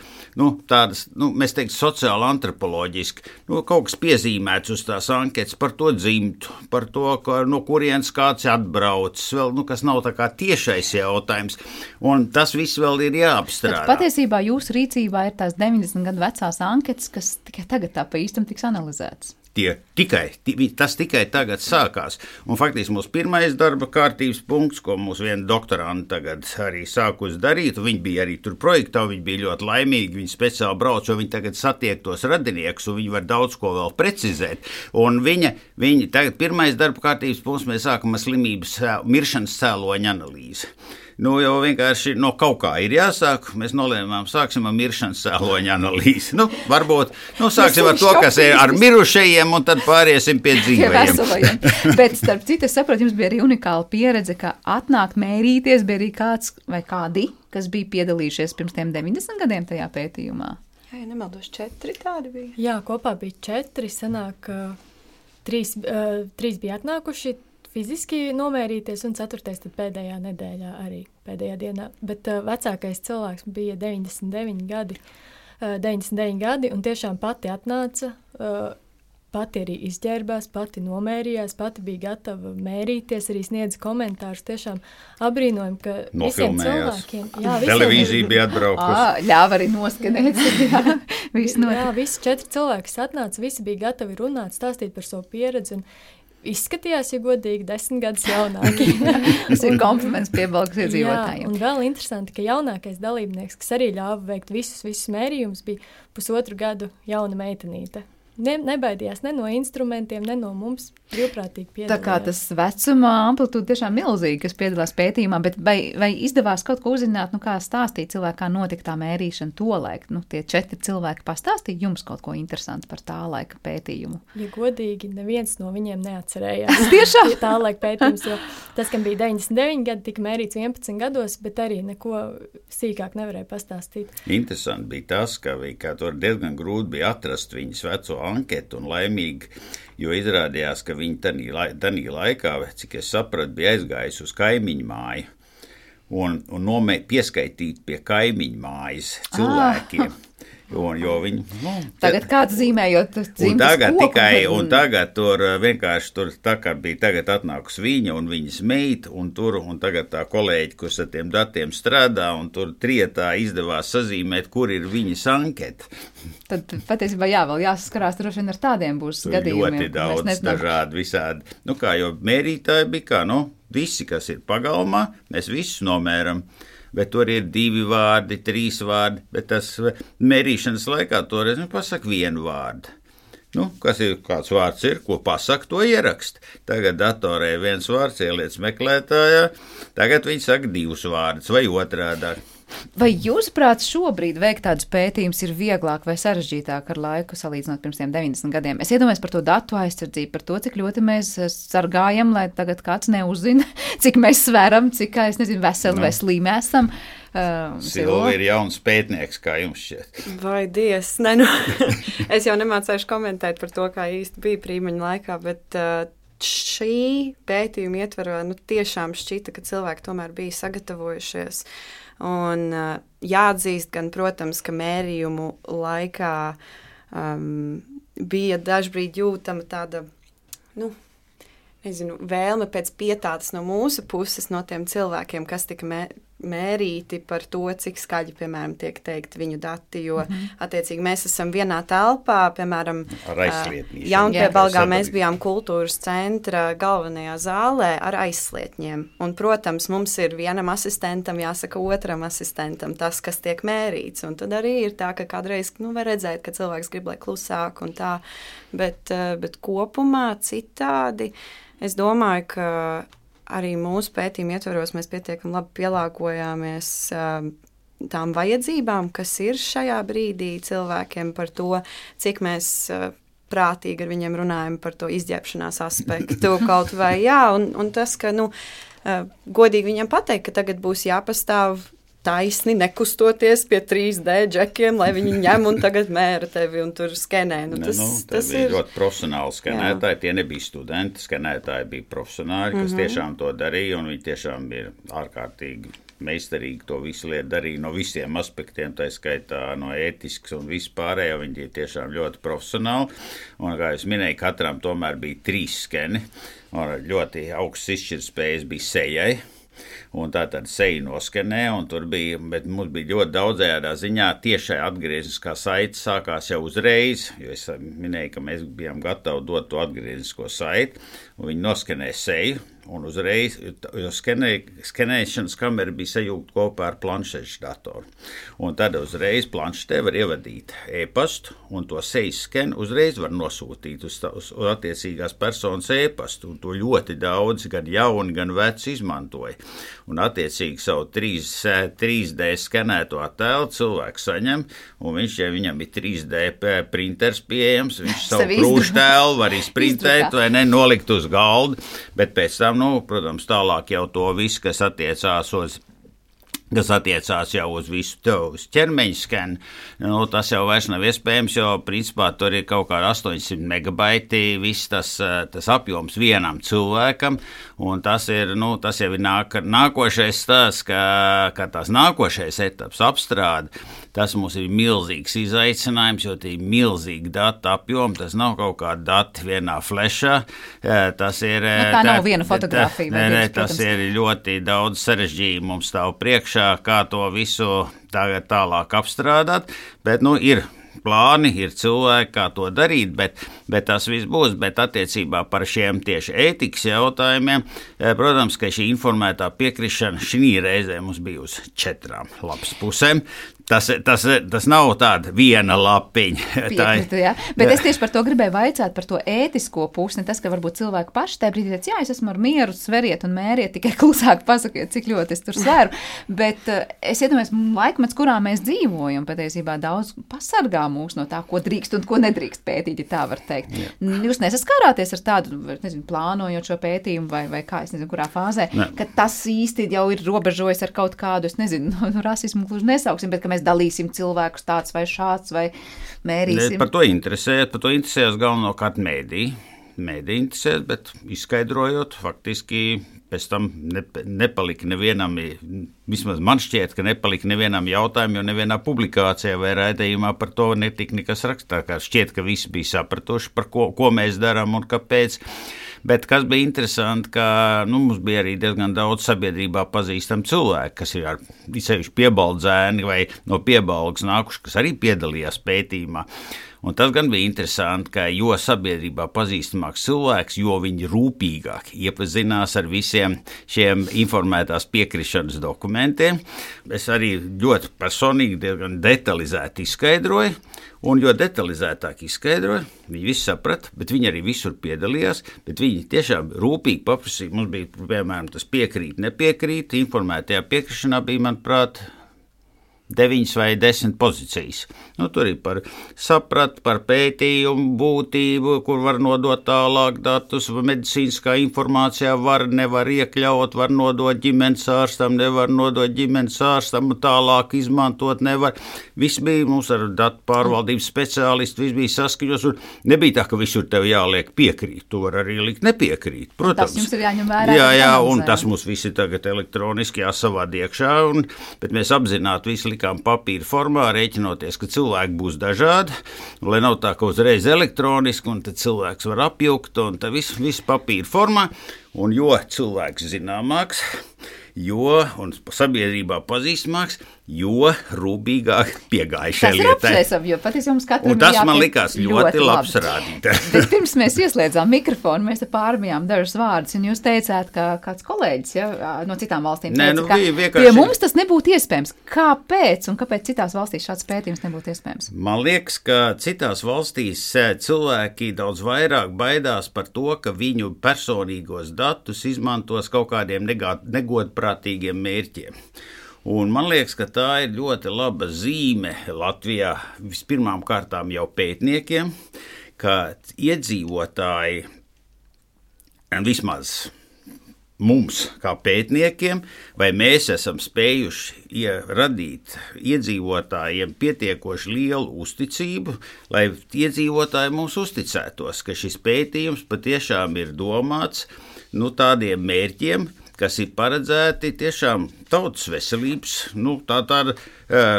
tādas, mēs teiktu, sociāli antropoloģiski. Kaut kas piezīmēts uz tās anketas par to dzimtu, par to, no kurienes kāds atbraucis, vēl, kas nav tā kā tiešais jautājums, un tas viss vēl ir jāapstrādā. Bet patiesībā jūsu rīcībā ir tās 90 gadu vecās anketas, kas tikai tagad tā pa īstam tiks analizētas. Tas tikai tagad sākās. Un faktiski mūsu pirmais darba kārtības punkts, ko mūsu viena doktoranta tagad arī sākus darīt, viņi bija arī tur projektā, viņi bija ļoti laimīgi, viņi speciāli brauc, jo viņi tagad satiek tos radiniekus, un viņi var daudz ko vēl precizēt. Un viņi tagad pirmais darba kārtības punkts, mēs sākam ar slimības miršanas cēloņa analīzi. Nu, jau vienkārši no kaut kā ir jāsāk. Mēs nolēmām, sāksim ar miršanas cēloņa analīzi. Nu, varbūt sāksim ar to, kas ir ar mirušajiem, un tad pāriesim pie dzīvajiem. Bet, starp citu, es saprotu, jums bija arī unikāla pieredze, ka atnākt mērīties bija arī kāds vai kādi, kas bija piedalījušies pirms tiem 90 gadiem tajā pētījumā. Jā, ja nemaldos, 4 tādi bija. Jā, kopā bija 4, sanāk, 3 bija atnākuši fiziski nomērīties, un 4. tad pēdējā nedēļā arī pēdējā dienā. Bet vecākais cilvēks bija 99 gadi, un tiešām pati atnāca, pati arī izģērbās, pati nomērījās, pati bija gatava mērīties, arī sniedza komentārus. Tiešām apbrīnojam, ka visiem cilvēkiem... Jā, televīzija bija atbraukusi. Ļāva arī noskanēt. Jā, visi 4 cilvēki atnāca, visi bija gatavi runāt, stāstīt par savu pieredzi, un izskatījās, ja godīgi, 10 gadus jaunāki. Tas ir kompliments piebalgas iedzīvotājiem. Jā, un vēl interesanti, ka jaunākais dalībnieks, kas arī ļāva veikt visus mērījumus, bija 1,5 gadu jauna meitenīte. Nebaidījās ne no instrumentiem, ne no mums brīvprātīgi piedalījās. Tā kā tas vecuma amplitūda tiešām milzīgi, kas piedalās pētījumā, bet vai izdevās kaut ko uzzināt, kā stāstīt cilvēku, kā notika tā mērīšana tolaik? Tie 4 cilvēki pastāstīja jums kaut ko interesantu par tā laika pētījumu? Ja godīgi, neviens no viņiem neatcerējās. Tiešām? Tā laika pētījums, jo tas, kam bija 99 gadi, tika mērīts 11 gados, bet arī neko sīkāk nevarēja pastāstīt. Interesanti bija tas, ka tur diezgan grūti bija atrast viņas veco anketu un laimīgi, jo izrādījās, ka viņi tanī laikā, cik es sapratu, bija aizgājis uz kaimiņu māju un pieskaitīt pie kaimiņu mājas cilvēkiem. Jo viņi, tagad kāds zīmējot dzimtas koku. Un tagad tur vienkārši tā kā bija tagad atnākus viņa un viņas meita, un tagad tā kolēģi, kurš ar tiem datiem strādā, un tur trietā izdevās sazīmēt, kur ir viņas anketa. Tad patiesībā vēl jāsaskarās droši vien ar tādiem būs gadījumiem. Ļoti daudz dažādi visādi. Jo mērītāji bija visi, kas ir pagalmā, mēs visus nomēram. Bet tur ir 2 vārdi, 3 vārdi, bet tas mērīšanas laikā toreiz pasaka 1 vārdu. Kāds vārds ir, ko pasaka, to ierakst. Tagad datorē 1 vārds ieliec meklētājā, tagad viņi saka 2 vārdus vai otrādā. Vai jūsuprāt šobrīd veikt tādus pētījumus ir vieglāk vai sarežģītāk ar laiku salīdzinot pirms tiem 90 gadiem? Es iedomājos par to datu aizsardzību, par to, cik ļoti mēs sargājam, lai tagad kāds neuzzina, cik mēs sveram, cik, veseli vai slīmi esam. Silva ir jauns pētnieks, kā jums šķiet. Vai Dievs, es jau nemācēšu komentēt par to, kā īsti bija Prīmeņa laikā, bet šī pētījuma ietvarā tiešām šķita, ka cilvēki tomēr bija sagatavojušies. Un jāatzīst gan, protams, ka mērījumu laikā bija dažbrīd jūtama tāda, vēlme pēc pietātes no mūsu puses, no tiem cilvēkiem, kas tika mērīti par to, cik skaļi, piemēram, tiek teikt viņu dati, jo, attiecīgi, mēs esam vienā telpā, piemēram, Jaunpiebalgā mēs bijām kultūras centra galvenajā zālē ar aizslietņiem, un, protams, mums ir vienam asistentam jāsaka otram asistentam tas, kas tiek mērīts, un tad arī ir tā, ka kādreiz, var redzēt, ka cilvēks grib, lai klusāk un tā, bet kopumā citādi, es domāju, ka arī mūsu pētījuma ietvaros mēs pietiekami labi pielāgojāmies tām vajadzībām, kas ir šajā brīdī cilvēkiem par to, cik mēs prātīgi ar viņiem runājam par to izģērbšanās aspektu kaut vai, un tas, ka, godīgi viņiem pateikt, ka tagad būs jāpastāv taisni, nekustoties pie 3D džekiem, lai viņi ņem un tagad mēra tevi un tur skenē. Tas bija ļoti profesionāli skenētāji, tie nebija studenti, skenētāji bija profesionāļi, kas tiešām to darīja, un viņi tiešām bija ārkārtīgi meistarīgi to visu lietu darīja no visiem aspektiem, tā skaitā no ētisks un vispārējo, viņi tiešām ļoti profesionāli, un, kā es minēju, katram tomēr bija 3 skeni, un ļoti augsts izšķirtspējas bija sejai. Un tā tad seju noskenē, un tur bija, bet mums bija ļoti daudzējādā ziņā tiešai atgriezniskā saite sākās jau uzreiz, jo es minēju, ka mēs bijām gatavi dot to atgrieznisko saiti, un viņi noskenē seju, un uzreiz, jo skenēšanas kamera bija sajūgta kopā ar planšešu datoru. Un tad uzreiz planšetē var ievadīt e-pastu, un to sejas skenu uzreiz var nosūtīt uz attiecīgās personas e-pastu, un to ļoti daudz, gan jauni, gan veci izmantoja. Un attiecīgi savu 3D skenēto attēlu cilvēks saņem, un viņš, ja viņam ir 3D printers pieejams, viņš savu krūštēlu var izprintēt vai ne, nolikt uz galdu, bet pēc tam, protams, tālāk jau to visu, kas attiecās jau uz visu uz ķermeņa skenu, tas jau vairs nav iespējams, jo principā tur ir kaut kā 800 megabaiti, viss tas apjoms vienam cilvēkam, un tas jau ir nākošais stāsts, ka tās nākošais etaps apstrāde, tas mums ir milzīgs izaicinājums, jo tie ir milzīgi datu apjomi, tas nav kaut kādi dati vienā flešā, tas ir... tā nav viena fotografija. Tas ir ļoti daudz sarežģījumu mums stāv priekšā, kā to visu tagad tālāk apstrādāt, bet ir plāni, ir cilvēki, kā to darīt, bet tas viss būs, bet attiecībā par šiem tieši ētikas jautājumiem, protams, ka šī informētā piekrišana šī reizē mums bija uz 4 lapas pusēm. Tas nav tāda viena lapiņa. Piekrita, jā. Bet es tieši par to gribēju vaicāt, par to ētisko pusi, ne tas, ka varbūt cilvēki paši tajā brīdī teica, jā, es esmu ar mieru, sveriet un mēriet, tikai klusāk pasakiet, cik ļoti es tur sveru. Bet es iedomājos, laikmets, kurā mēs dzīvojam, patiesībā daudz pasargā mūs no tā, ko drīkst un ko nedrīkst pētīt, ja tā var teikt. Jā. Jūs nesaskārāties ar tādu, plānojot šo pētījumu vai kā, es nezinu, kurā fāzē, ka tas īsti jau ir robežojis ar kaut kādu, es nezinu, rasismu gluži nesauksim, bet ka mēs dalīsim cilvēkus tāds vai šāds vai mērīsim. Par to interesējas galvenokārt mēdī. Mēdī interesēs, bet izskaidrojot, faktiski pēc tam nepalika nevienam, vismaz man šķiet, ka nepalika nevienam jautājumu, jo nevienā publikācijā vai raidījumā par to netika nekas rakstā, kā šķiet, ka visi bija sapratuši, par ko mēs darām un kāpēc. Bet kas bija interesanti, ka mums bija arī diezgan daudz sabiedrībā pazīstam cilvēki, kas ir sevišķi piebaldzēni vai no piebalgas nākuši, kas arī piedalījās pētījumā. Un tas gan bija interesanti, ka jo sabiedrībā pazīstamāks cilvēks, jo viņi rūpīgāk iepazinās ar visiem šiem informētās piekrišanas dokumentiem. Es arī ļoti personīgi diezgan detalizēti izskaidroju, un jo detalizētāk izskaidroju, viņi visi saprata, bet viņi arī visur piedalījās, bet viņi tiešām rūpīgi paprasīja. Mums bija, piemēram, tas piekrīt, nepiekrīt, informētajā piekrišanā bija, manuprāt, 9 vai 10 pozīcijas. Tur ir par saprat, par pētījumu būtību, kur var nodot tālāk datus, medicīniskā informācijā nevar iekļaut, var nodot ģimenes ārstam, nevar nodot ģimenes ārstam, tālāk izmantot nevar. Viss bija mums ar datu pārvaldības speciālistu, viss bija saskaņos, un nebija tā, ka visur tev jāliek piekrīt, tu var arī likt nepiekrīt, protams. Tas jums ir jāņem vērā. Jā, un tas mums visi tagad elektroniski jāsavād iekšā, bet mēs apzināti visi likām papīra formā, rēķinoties, ka cilvēki būs dažādi, lai nav tā, ka uzreiz elektroniski, un tad cilvēks var apjukt, un tā viss papīra formā, un jo cilvēks zināmāks, un sabiedrībā pazīstamāks, jo rūpīgāk piegāja šai lietai. Tas ir apsveicami, jo patiesībā mums katram un tas man likās ļoti labs rādītājs. Bet pirms mēs ieslēdzām mikrofonu, mēs te pārmijām dažus vārdus, un jūs teicāt, ka kāds kolēģis no citām valstīm teica, ka pie mums tas nebūtu iespējams. Kāpēc un kāpēc citās valstīs šāds pētījums nebūtu iespējams? Man liekas, ka citās valstīs cilvēki daudz vairāk baidās par to, ka viņu personīgos datus izmantos kaut kādiem negodprātīgiem mērķiem. Un man liekas, ka tā ir ļoti laba zīme Latvijā vispirmām kārtām jau pētniekiem, ka iedzīvotāji, vismaz mums kā pētniekiem, vai mēs esam spējuši radīt iedzīvotājiem pietiekoši lielu uzticību, lai iedzīvotāji mums uzticētos, ka šis pētījums patiešām ir domāts tādiem mērķiem, kas ir paredzēti tiešām tautas veselības, tāda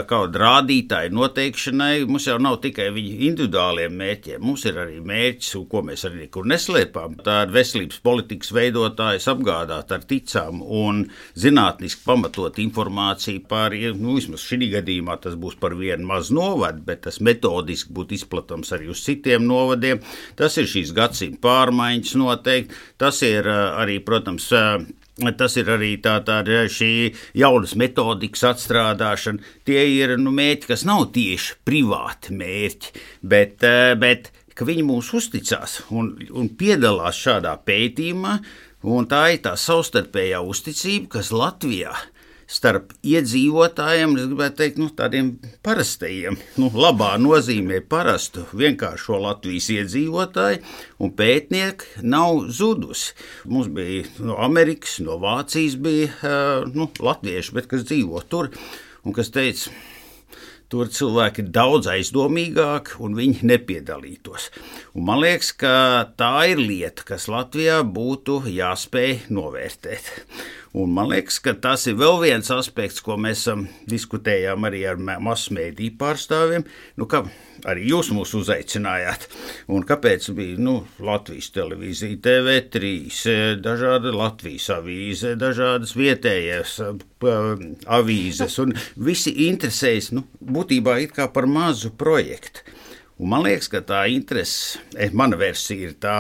kāda rādītāja noteikšanai. Mums jau nav tikai viņu individuāliem mērķiem, mums ir arī mērķis, ko mēs arī nekur neslēpām. Tā ir veselības politikas veidotājs apgādāt ar ticām un zinātniski pamatot informāciju par, vismaz šī gadījumā tas būs par vienu mazu novadu, bet tas metodiski būtu izplatams arī uz citiem novadiem. Tas ir šīs gadsimta pārmaiņas noteikti, tas ir arī, protams, tas ir arī tā šī jaunas metodikas atstrādāšana. Tie ir mērķi, kas nav tieši privāti mērķi, bet ka viņi mūs uzticās un piedalās šādā pētījumā, un tā ir tā savstarpējā uzticība, kas Latvijā starp iedzīvotājiem, es gribētu teikt, tādiem parastajiem, labā nozīmē parastu vienkāršo Latvijas iedzīvotāju un pētnieki nav zudusi. Mums bija no Amerikas, no Vācijas bija latvieši, bet kas dzīvo tur un kas teica, tur cilvēki ir daudz aizdomīgāki un viņi nepiedalītos. Un man liekas, ka tā ir lieta, kas Latvijā būtu jāspēj novērtēt. Un man liekas, ka tas ir vēl viens aspekts, ko mēs diskutējām arī ar masu mēdīju pārstāvjiem, ka arī jūs mūs uzaicinājāt. Un kāpēc bija Latvijas televīzija, TV3, dažāda Latvijas avīze, dažādas vietējās avīzes, un visi interesējas būtībā it kā par mazu projektu. Un man liekas, ka tā interese, mana versija ir tā,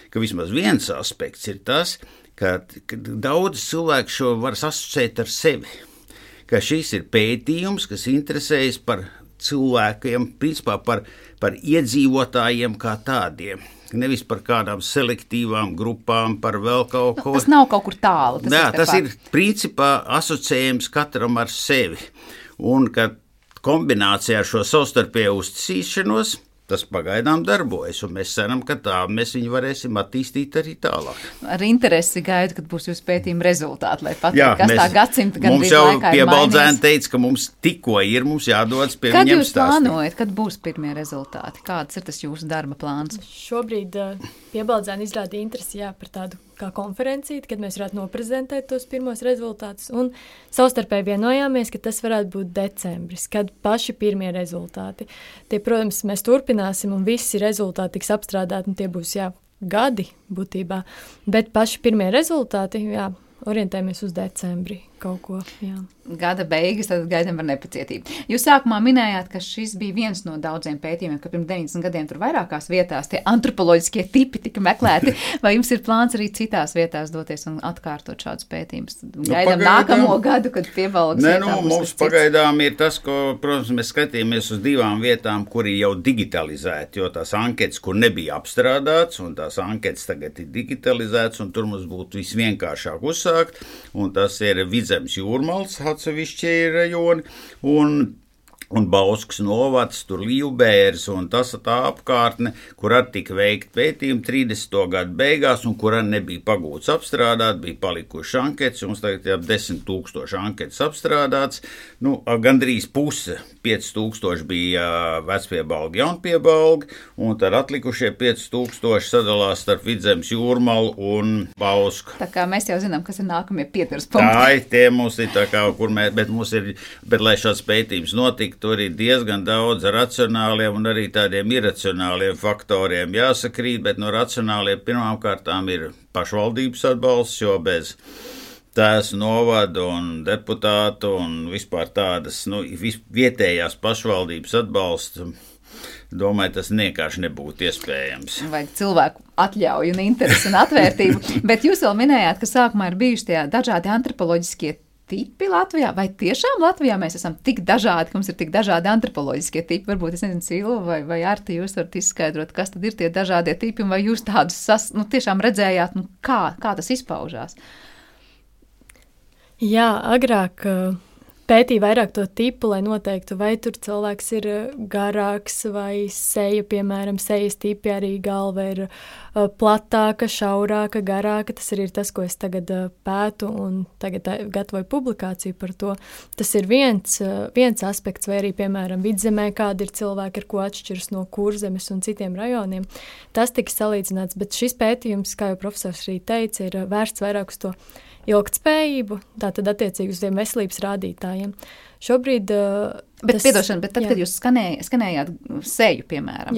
ka vismaz viens aspekts ir tas, ka daudz cilvēku šo var asociēt ar sevi, ka šis ir pētījums, kas interesējas par cilvēkiem, principā par iedzīvotājiem kā tādiem. Nevis par kādām selektīvām grupām, par vēl kaut ko. Tas nav kaut kur tālu. Tas ir principā asociējums katram ar sevi. Un ka kombinācijā ar šo savstarpēju uzticīšanos tas pagaidām darbojas, un mēs ceram, ka tā mēs viņu varēsim attīstīt arī tālāk. Ar interesi gaidu, kad būs jūsu pētījuma rezultāti, lai pateikt, kas tā gadsimta gan mums jau Piebaldzēni teica, ka mums tikko ir, mums jādodas pie viņiem stāstīt. Kad jūs plānojat, kad būs pirmie rezultāti? Kāds ir tas jūsu darba plāns? Šobrīd Piebaldzēni izrāda interesi par tādu kā konferenciju, kad mēs varētu noprezentēt tos pirmos rezultātus, un savstarpēji vienojāmies, ka tas varētu būt decembris, kad paši pirmie rezultāti. Tie, protams, mēs turpināsim, un visi rezultāti tiks apstrādāti, un tie būs, gadi būtībā, bet paši pirmie rezultāti, orientējamies uz decembri kaut ko, Gada beigas, tad gaidām ar nepacietību. Jūs sākumā minējāt, ka šis bija viens no daudziem pētījumiem, ka pirms 90 gadiem tur vairākās vietās tie antropoloģiskie tipi tika meklēti. Vai jums ir plāns arī citās vietās doties un atkārtot šādus pētījumus? Gaidām nākamo gadu, kad Piebalgas vietā būs mums pagaidām ir tas, ko, protams, mēs skatījāmies uz 2 vietām, kur ir jau digitalizēti, jo tās anketas, kur nebija apstrādāts, un tās anketas tagad ir digitalizētas, un tur mums būtu visvienkāršāk uzsākt, un tas ir Vidzemes Jūrmals, atsevišķi rajoni, un Bauskas novads, tur Līvbērs un tas tā apkārtne, kur arī tika veikt pētījumi 30. gadu beigās, un kur arī nebija pagūts apstrādāt, bija palikuši anketas, mums tagad jau 10 000 anketas apstrādāts, gandrīz puse, 5000 bija Vecpiebalga, Jaunpiebalga, un tad atlikušie 5000 sadalās starp Vidzemes Jūrmalu un Bausku. Tā kā mēs jau zinām, kas ir nākamie pieturas punkti. Tā, tie mums ir tā kā, bet lai šāds pētījums notika, tur ir diezgan daudz racionāliem un arī tādiem iracionāliem faktoriem jāsakrīt, bet no racionāliem pirmām kārtām ir pašvaldības atbalsts, jo bez tās novada un deputātu un vispār tādas vietējās pašvaldības atbalsta, domāju, tas vienkārši nebūtu iespējams. Vajag cilvēku atļauju un interesi un atvērtību, bet jūs vēl minējāt, ka sākumā ir bijuši tie dažādi antropoloģiskie tipi Latvijā, vai tiešām Latvijā mēs esam tik dažādi, ka mums ir tik dažādi antropoloģiskie tipi? Varbūt, es nezinu, Silva vai Arti, jūs varat izskaidrot, kas tad ir tie dažādie tipi, un vai jūs tādus tiešām redzējāt, kā tas izpaužās? Jā, agrāk pētīja vairāk to tipu, lai noteiktu, vai tur cilvēks ir garāks vai seja, piemēram, sejas tipi arī galva ir platāka, šaurāka, garāka. Tas arī ir tas, ko es tagad pētu un tagad gatavoju publikāciju par to. Tas ir viens aspekts, vai arī, piemēram, Vidzemē, kādi ir cilvēki, ar ko atšķiras no Kurzemes un citiem rajoniem. Tas tika salīdzināts, bet šis pētījums, kā jau profesors arī teica, ir vērsts vairāk uz to ilgtspējību, tātad attiecīgi uz tiem veselības rādītājiem. Šobrīd Bet tad, kad jūs skanējāt seju, piemēram,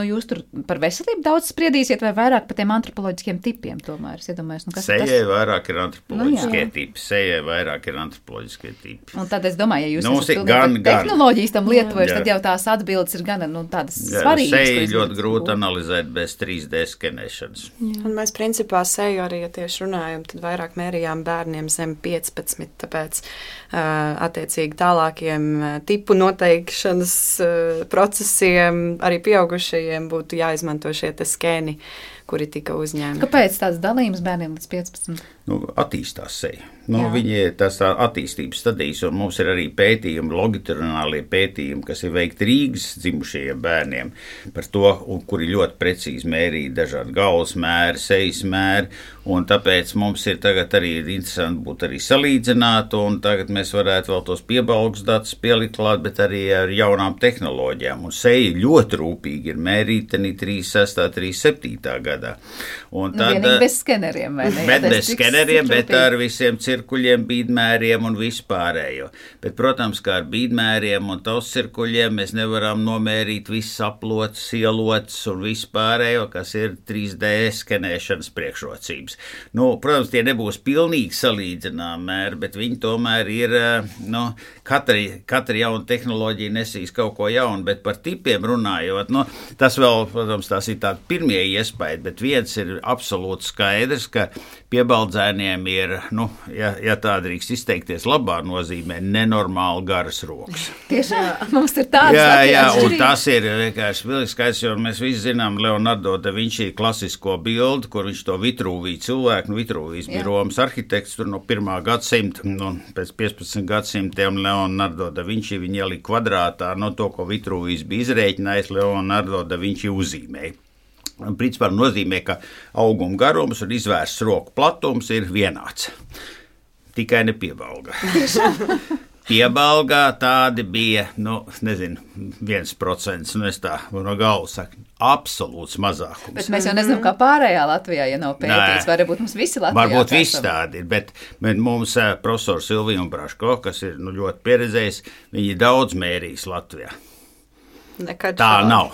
jūs tur par veselību daudz spriedīsiet vai vairāk par tiem antropoloģiskiem tipiem tomēr? Es iedomājos, sejai vairāk ir antropoloģiskie tipi. Sejai vairāk ir antropoloģiskie tipi. Un tad es domāju, ja jūs esat tehnoloģijas tam lietojuši, tad jau tās atbildes ir gan tādas svarīgas. Seju ļoti grūti analizēt bez 3D skenēšanas. Un mēs principā seju arī, ja tieši runājam, tad vairāk mērījām bērniem zem 15, tāpēc attiecīgi tālākiem tipu noteikšanas procesiem arī pieaugušajiem būtu jāizmanto šie te skēni, kuri tika uzņēmti. Kāpēc tāds dalījums bērniem līdz 15? Attīstās seja. Viņi tas tā attīstības stadijas, un mums ir arī pētījumi, longitudinālie pētījumi, kas ir veikti Rīgas dzimušajiem bērniem par to, kuri ļoti precīzi mērīja dažādi galvas mēri, sejas mēri, un tāpēc mums ir tagad arī interesanti būt arī salīdzināt, un tagad mēs varētu vēl tos piebalgus datus pielikt klāt, bet arī ar jaunām tehnoloģijām, un seja ļoti rūpīgi ir mērīta 36. 37. gadā. Un vienīgi bez skeneriem, vai ne? Bet bez skeneriem, bet ar visiem cirkuļiem, bīdmēriem un vispārējo. Bet, protams, kā ar bīdmēriem un tos cirkuļiem mēs nevaram nomērīt visas aplotas, ielotas un vispārējo, kas ir 3D skenēšanas priekšrocības. Protams, tie nebūs pilnīgi salīdzinām mēri, bet viņi tomēr ir, katra jauna tehnoloģija nesīs kaut ko jaunu, bet par tipiem runājot, tas vēl, protams, tās ir tādi pirmie iespējas, bet viens ir absolūti skaidrs, ka piebaldzēniem ir, ja tā drīkst izteikties labā nozīmē, nenormāli garas rokas. Tiešām, mums ir tādas attiecības. Jā, un tas ir vienkārši pilnīgi skaidrs, jo mēs visi zinām Leonardo da Vinci klasisko bildi, kur viņš to Vitruviju cilvēku, Vitruvijs bija Romas arhitekts, tur no 1. gadsimta, pēc 15 gadsimtiem Leonardo da Vinci viņi ielika kvadrātā, to, ko Vitruvijs bija izrēķinājis, Leonardo da Vinci uzzīmēja. Principā nozīmē, ka auguma garums un izvērsts roku platums ir vienāds. Tikai ne piebalgā. Piebalgā tādi bija, 1%, es tā no galvas saku, absolūts mazākums. Bet mēs jau nezinām, kā pārējā Latvijā, ja nav pētīts, varbūt mums visi Latvijā. Varbūt visi tādi ir, bet mums profesors Silvija Braško, kas ir ļoti pieredzējis, viņi daudz mērījis Latvijā. Nekad tā nav.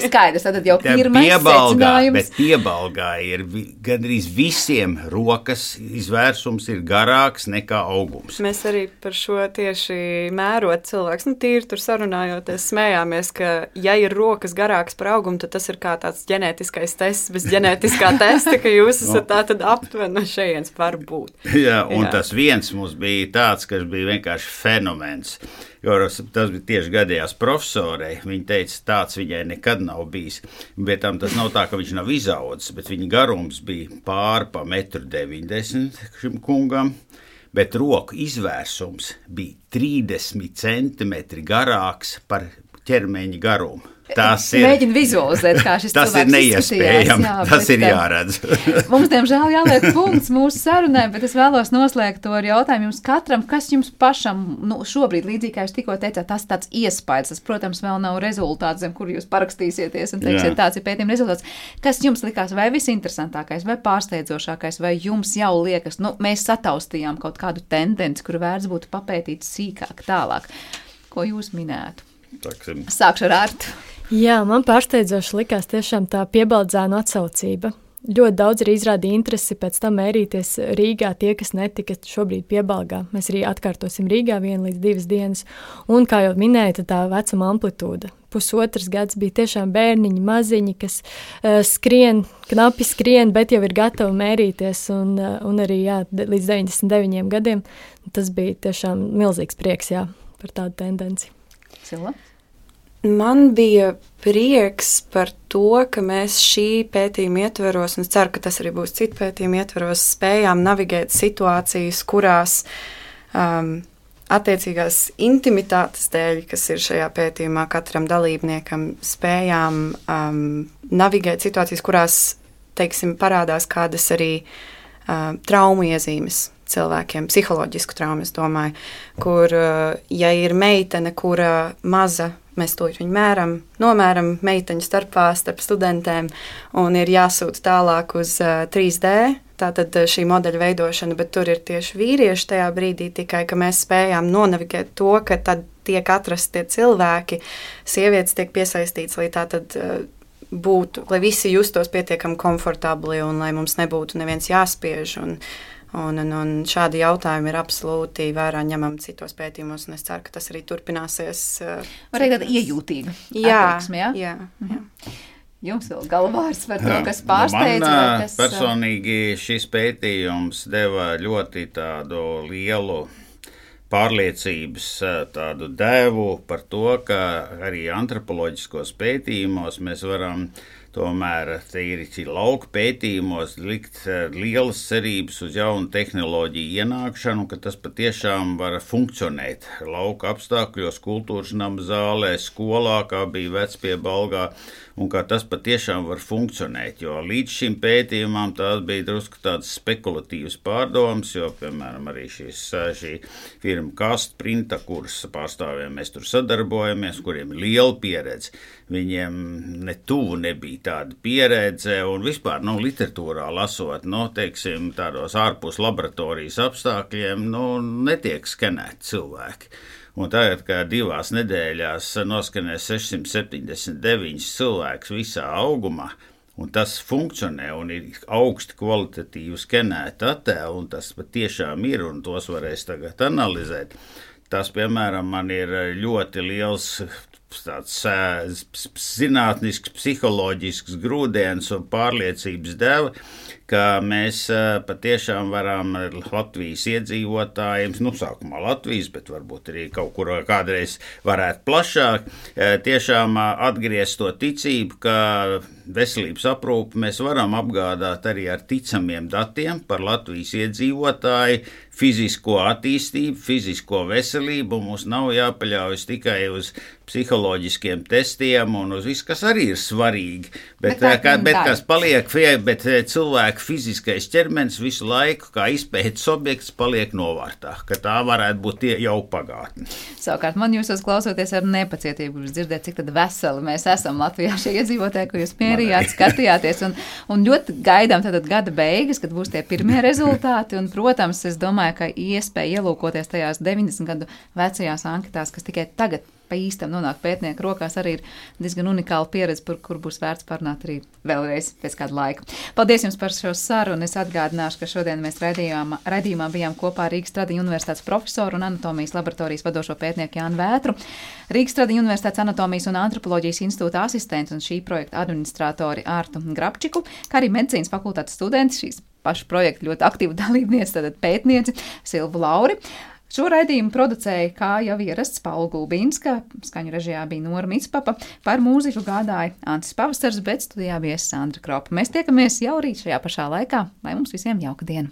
Skaidrs, tad jau pirmais secinājums. Bet piebalgā ir gandrīz visiem rokas izvērsums ir garāks nekā augums. Mēs arī par šo tieši mērot cilvēks, tīri tur sarunājoties, smējāmies, ka ja ir rokas garāks par augumu, tad tas ir kā tāds ģenētiskais tests bez ģenētiskā testa, ka jūs esat tā tad aptuveni no šejienes var būt. Jā, un tas viens mums bija tāds, kas bija vienkārši fenomens. Jo tas bija tieši gadījās profesorei. Viņa teica, tāds viņai nekad nav bijis. Bet tas nav tā, ka viņš nav izaudzis, bet viņa garums bija pāri pa 1,90 m šim kungam, bet roku izvērsums bija 30 centimetri garāks par ķermeņa garumu. Mēģinu vizualizēt, kā šis cilvēks izskatījās. Neiespējami, tas ir jāredz. Mums, diemžēl, jāliek punkts mūsu sarunai, bet es vēlos noslēgt to ar jautājumu jums katram, kas jums pašam šobrīd, līdzīgi kā jūs tikko teicāt, tas tāds iespējas, tas, protams, vēl nav rezultāts, zem kuru jūs parakstīsieties un teiksiet, tāds ir pētījuma rezultāts. Kas jums likās vai visinteresantākais, vai pārsteidzošākais, vai jums jau liekas, mēs sataustījām kaut kādu tendenci, kuru vērts būtu papētīt sīkāk tālāk? Ko jūs minētu? Sākšu ar Artu. Jā, man pārsteidzoši likās tiešām tā piebaldzēnu atsaucība. Ļoti daudz arī izrādīja interesi pēc tam mērīties Rīgā tie, kas netika šobrīd piebalgā. Mēs arī atkārtosim Rīgā 1 līdz 2 dienas. Un, kā jau minēja, tā vecuma amplitūda. 1,5 gads bija tiešām bērniņi, maziņi, kas knapi skrien, bet jau ir gatavi mērīties. Un arī līdz 99 gadiem tas bija tiešām milzīgs prieks par tādu tendenci. Cila? Man bija prieks par to, ka mēs šī pētījuma ietveros, un es ceru, ka tas arī būs citu pētījumu ietveros, spējām navigēt situācijas, kurās attiecīgās intimitātes dēļ, kas ir šajā pētījumā katram dalībniekam, spējām navigēt situācijas, kurās, teiksim, parādās kādas arī traumu iezīmes cilvēkiem, psiholoģisku traumu, es domāju, kur, ja ir meitene, kura maza, mēs to viņu nomēram meiteņu starp studentēm, un ir jāsūta tālāk uz 3D tātad šī modeļa veidošana, bet tur ir tieši vīrieši tajā brīdī tikai, ka mēs spējām nonavigēt to, ka tad tiek atrasti tie cilvēki, sievietes tiek piesaistīts, lai tātad būtu, lai visi justos pietiekami komfortabli un lai mums nebūtu neviens jāspiež. Un šādi jautājumi ir absolūti vērā ņemami citos pētījumos, un es ceru, ka tas arī turpināsies. Arī tāda iejūtīga attieksme, jā? Jā. Jums vēl galvārs par to, kas pārsteidz? Man personīgi šis pētījums deva ļoti tādu lielu pārliecības tādu devu par to, ka arī antropoloģiskos pētījumos mēs varam tomēr tīri lauku pētījumos likt lielas cerības uz jaunu tehnoloģiju ienākšanu, ka tas patiešām var funkcionēt lauka apstākļos, kultūras nama zālē, skolā, kā bija Vecpiebalgā, un kā tas patiešām var funkcionēt, jo līdz šim pētījumam tās bija drusku tādas spekulatīvas pārdomas, jo, piemēram, arī šī firma Kastprinta, kuras pārstāvjiem mēs tur sadarbojamies, kuriem ir liela pieredze, viņiem ne tuvu nebija tāda pieredze, un vispār, literatūrā lasot, teiksim, tādos ārpus laboratorijas apstākļiem, netiek skenēti cilvēki. Un tagad, kā 2 nedēļās noskanēs 679 cilvēks visā augumā, un tas funkcionē un ir augsti kvalitatīvi skenēti attēli, un tas patiešām ir, un tos varēs tagad analizēt. Tas, piemēram, man ir ļoti liels tāds zinātnisks, psiholoģisks grūdienis un pārliecības deva, ka mēs patiešām varam Latvijas iedzīvotājiem, sākumā Latvijas, bet varbūt arī kaut kur kādreiz varētu plašāk, tiešām atgriezt to ticību, ka veselības aprūpi mēs varam apgādāt arī ar ticamiem datiem par Latvijas iedzīvotāju, fizisko attīstību, fizisko veselību, un mums nav jāpaļaujas tikai uz psiholoģiskiem testiem un uz visu, kas arī ir svarīgi, bet kas paliek, bet cilvēka fiziskais ķermenis visu laiku, kā izpētes objekts, paliek novārtā, ka tā varētu būt jau pagātne. Savukārt man jūsos klausoties ar nepacietību, dzirdēt, cik tad veseli mēs esam Latvijā šie iedzīvotāji, ko jūs mierījāt, skatījāties, un ļoti gaidām tātad gada beigas, kad būs tie pirmie rezultāti, un, protams, es domāju, ka iespēja ielūkoties tajās 90 gadu vecajās anketās, kas tikai tagad pa īstam nonāk pētnieku rokās, arī ir diezgan unikāla pieredze, par kur būs vērts parunāt arī vēlreiz pēc kāda laika. Paldies jums par šo sarunu. Es atgādināšu, ka šodien mēs raidījumā bijām kopā ar Rīgas Tradiņu universitātes profesoru un anatomijas laboratorijas vadošo pētnieku Jānu Vētru, Rīgas Tradiņu universitātes anatomijas un antropoloģijas institūta asistents un šī projekta administratori Ārtu Grabčiku, kā arī medicīnas fakultātes studenti, šīs pašu projekta ļoti aktīva dalībniece, tātad pētnieci Silvu Lauri. Šo raidījumu producēja, kā jau ierasts, Paula Gulbīnska, skaņu režijā bija Nora Mitspapa, par mūziku gādāja Antis Pavasars, bet studijā bija Sandra Kropa. Mēs tiekamies jau rīt šajā pašā laikā, lai mums visiem jauka diena!